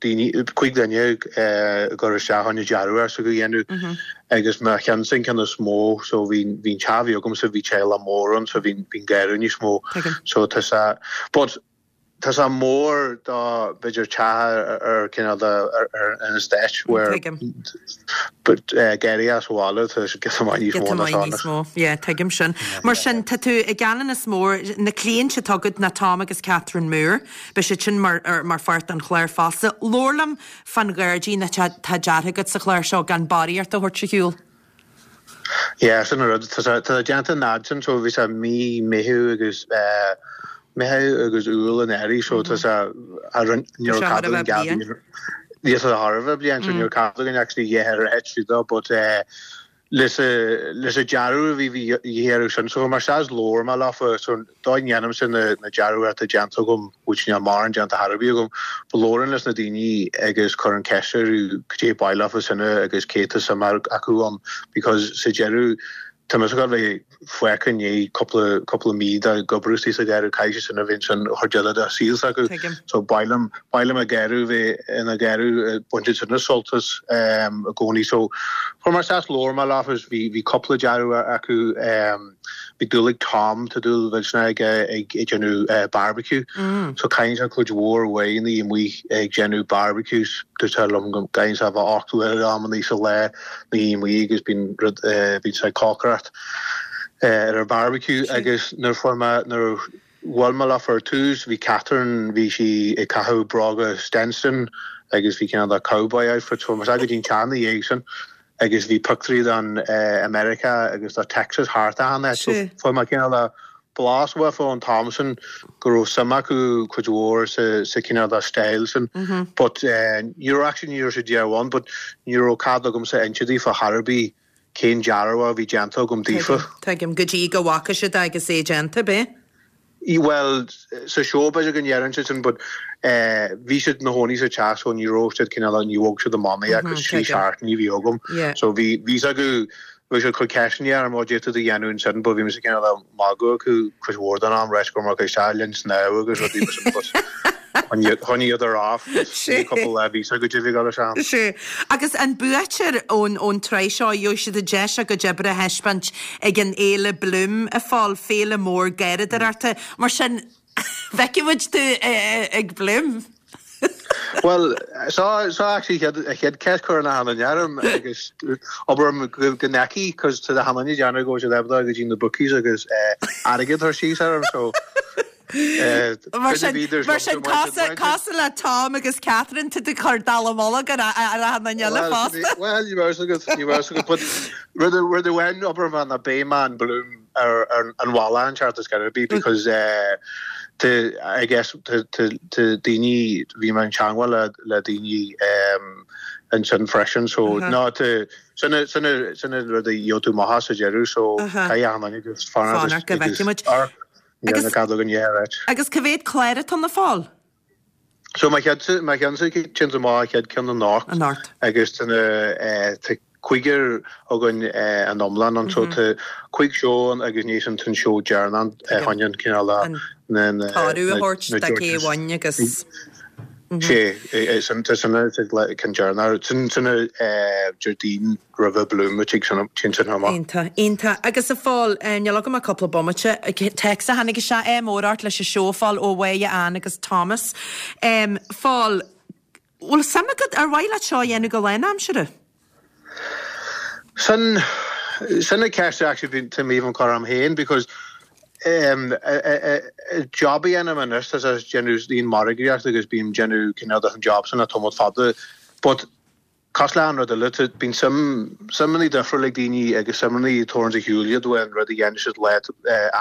daoine cúig duine gur isteach an dearadh ar sa go dhéanamh agus mar cheansa ceann is mó so bhí bhí teach agam sa bhí teaghlach mór ann so bhí bhí garraí níos mó so tá sé but tá sé mór dá b'fhéidir teach ar cineál ar an estate where but garraí as bhaile tá sé giota maith níos mó ná níos mó. Yeah, tuigim sin. Mar sin tá tú ag gan is mór na cliaint atá agat ná Tom agus Catherine Moore, Beidh siad sin mar, ar, mar pháirt an chlár fosta. Labhair liom fan ghairdín atá tá deartha agat sa chlár seo gan barraíocht a thabhairt ar shiúl. Yeah, sin an rud tá tá déanta nád sin so bhí sé mí Meitheamh agus uh, Meitheamh agus Iúil anuraidh so tá sé a ní Tá sé thar a bheith bliain. Ní a thar bliain so ní cad an actually dhéar do but uh, leis leis a dearadh bhí bhí dhéarú sin so mar seas leor me lefa so dá dhéanam sin na na dearadh atá déanta agam which níl mar an déanta thar bí agam labhraím leis na daoine agus chur an ceist goidé ba leofa sinne agus cé tá suim acu ann because sa deireadh Tá mé go bheith fucan é cúpla cúpla mí de gobrúí sa ghearú caiise sin a bhíon sin chuideile de síl acu so bailim bailim a gearú bheith ina gearú buinte sin na soltas um, i gcónaí so for mar sas lór mar láfas bhí bhí cúpla dearadh acu um, bhí dúil ag Tom tá dúil bhfuil sin ag ag ag déanamh uh, barbecue mm. so caitheann sé cuid mhór uaidh na amuigh ag déanamh barbecues dúirt sé liom go gcaitheann sé bheith ocht uair amannaí sa lá na amuigh agus bíonn rud uh, bíonn sé cócaireacht uh, ar a barbecue agus nuair fuair mé nuair bhuail mé leofa ar tús bhí Catherine bhí sí ag caitheamh bróga Stetson agus bhí ceann de cowboy outfit so mar go dtín teanna dhéag sin agus bhí pictiúirí den uh, America agus do Texas thart ann so fuair mé cineál de blas uafa an t-am sin go raibh suim acu cuid mhór sa sa cineál de style sin but uh, ní raibh actually ní raibh sé dear one but ní raibh cead agamsa inse daofa thar ar bith cén dearadh a bhí déanta agam daofa. Tuigim go dtí go bhfaca siad agus é déanta bé? Bhuel sa seó b'fhéidir go ndeireann siad sin but eh, bhí siad na chónaí sa teach so ní raibh siad cineál ní bhog siad amach mé agus trí seachtaine bhí agam. So bhí bhí acu bhí siad cur ceisteanna orm ó d'fhéadfadh a dhéanamh ansin but bhí mise cineál ag magadh acu cuid mhór den am leis gur mar isteach linn snámh agus rudaí mar sin but Choinníodar off Sé. cúpla lá bhí go dtí go sean. Sé. Agus an buaiteoir ón ón tsraith seo gheobhaidh siad an deis a gcuid oibre a thaispeáint ag an fhéile Bloom a Phóil, féile mór garraíodóireachta. Mar sin feicfidh muid tú ag Bloom. Well, so so actually chéad chéad ceist chur na hana nearm agus obair go go necí cos tá na hana deanna go siad ebda go dtí na bookies agus airgead thar síos orm so Mar sin mar sin cosúil le Tom agus Catherine tú ag cur dallamullóg ar ar an eile fosta. Well, you were so good, you were so good, but rud rud amháin obair man a beidh man Bloom ar ar an bhalla an chart is gonna be because uh, to I guess to to to daoine bhí mé in teagmháil le le daoine um, ansin freisin so uh -huh. ná to sin sin sin rud a gheobhaidh tú maith sa deireadh so caithfidh an agus fanacht go bhfeicfimid. Agus cadú an right. Agus cá mhéad clár atá ann a Phóil? So má chead má cheann sin má chead ceann anocht Anocht. agus tá na cúigear againn an iomlán an so tá cúig seó agus ní an tan seó deireanach choinne cineál na Toradh a thabhairt do cé bhain agus Sé san san cin deireanach sin sin Déardaoin roimh Bloom tig sin sin sin amach. Iontach, iontach. Agus a Phóil, níl agam ach cúpla bomaite, téacs a tháinig isteach ádh mór ort leis an seó a Phóil ó Mháire Ann agus Thomas. Um, Phóil, bhfuil suim agat ar mhaith leat seo a dhéanamh go lánaimseartha? Sin sin a ceist actually bhí mé an chur orm féin because um, job a dhéanamh anois tá déanamh líon margaíocht agus bím déanamh cineál an job sin a tamall fada but cosúil le an rud eile bíonn suim suimeanna difriúil ag daoine agus suimeanna tuairim a shiúil iad an rud a dhéanann siad le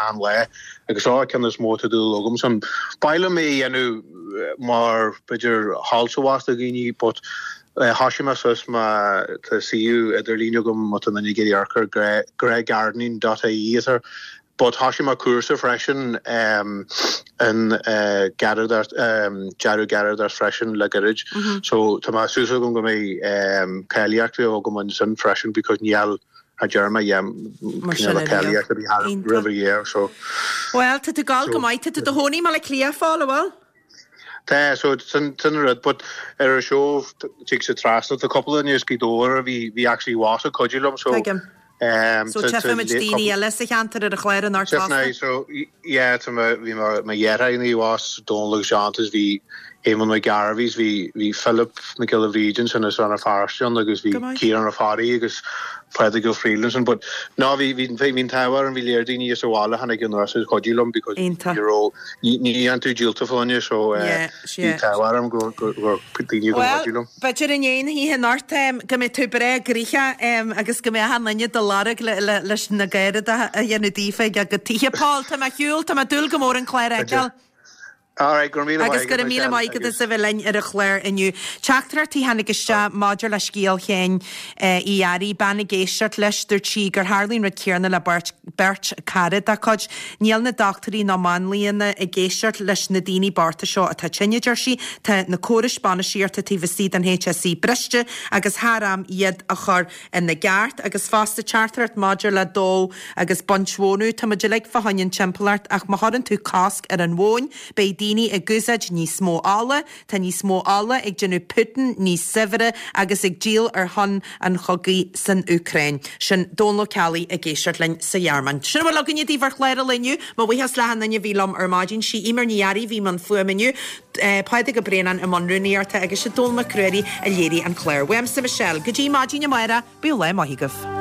an le agus á ceann is mó tá dúil agam san Ba mé dhéanamh mar b'fhéidir hálsahas do dhaoine but Thosaigh mé suas má tá suíomh idirlín agam má tá duine ag iarraidh amharc ar greygardening dot ie ar But thosaigh mé cúrsa freisin um, in uh, garraíodóireacht um, dearadh garraíodóireacht freisin le gairid. Mm -hmm. So tá mé súil agam go mbeidh um, cáilíocht agam ansin freisin because níl a deir Mar cáilíocht a bhí roimh year so. Well, tá tú gal go maith tú do chónaí i mBaile Átha Cliath Phóil bhfuil? Tá so sin sin rud but ar a seó tig sa trasna tá cúpla duine as Gaoth Dobhair a bhí bhí actually was a cuidiú liom so Tuigim. um, So tchífimid daoine eile sa cheantar ar an chlár anocht fosta? So yeah tá bhí mo dheartháir was Dónal agus Seán bhí Éamon Mac Gairbhís bhí bhí Philip Mac Giolla Bhríde sin as Rann na Feirste agus bhí Ciarán Ó Fearraigh agus Pádraig Ó Freelanson but ná bhí bhí bhí táhar an bhí léir daoine is bhála tháinig anuas is cuidiú liom because you ní ní an tú díolta fáine so bhí táhar am go go daoine go cuidiú liom. B'fhéidir in aon oíche anocht go mbeidh tú breá gnoitheach agus go mbeidh an duine do lorg leis na garraíodóireacht a dhéanamh daofa ag tithe Paul tá mé shiúl tá mé ag dúil go mór an clár a fheiceáil. All go míle Agus go raibh míle maith agat as a bheith linn ar an chlár inniu. Teachtaireachtaí tháinig isteach maidir le scéal Sheáin Uí Fhearraigh bean ag éisteacht leis dúirt sí gur tharla an rud céanna le beirt beirt cara dá cuid. Níl na dochtúirí ná máinlianna ag éisteacht leis na daoine bochta seo atá tinn a deir sí, tá na córais bainistíochta taobh istigh den HSE briste agus thar am iad a chur ina gceart agus fosta teachtaireacht maidir le dó agus baint mhónadh Tá muid uilig fá choinne an timpeallacht ach má chuireann tú cosc ar an mhóin, beidh daoine ag úsáid níos mó ola, tá níos mó ola ag déanamh Putin níos saibhre agus ag díol ar shon an chogaidh san Úcráin. Sin Dónal Ó Ceallaigh ag éisteacht linn sa Ghearmáin. Sin a bhfuil againne daoibh ar chlár an lae inniu, mo bhuíochas le achan duine a bhí liom ar maidin sí Eimear Ní Fhearraigh bhí i mbun fuaime inniu, Pádraig Ó Braonáin i mbun rúnaíochta agus sé Dónal Mac Ruairí a léirigh an clár. Uaimse Michelle, go dtí maidin amárach, bíodh lá maith agaibh.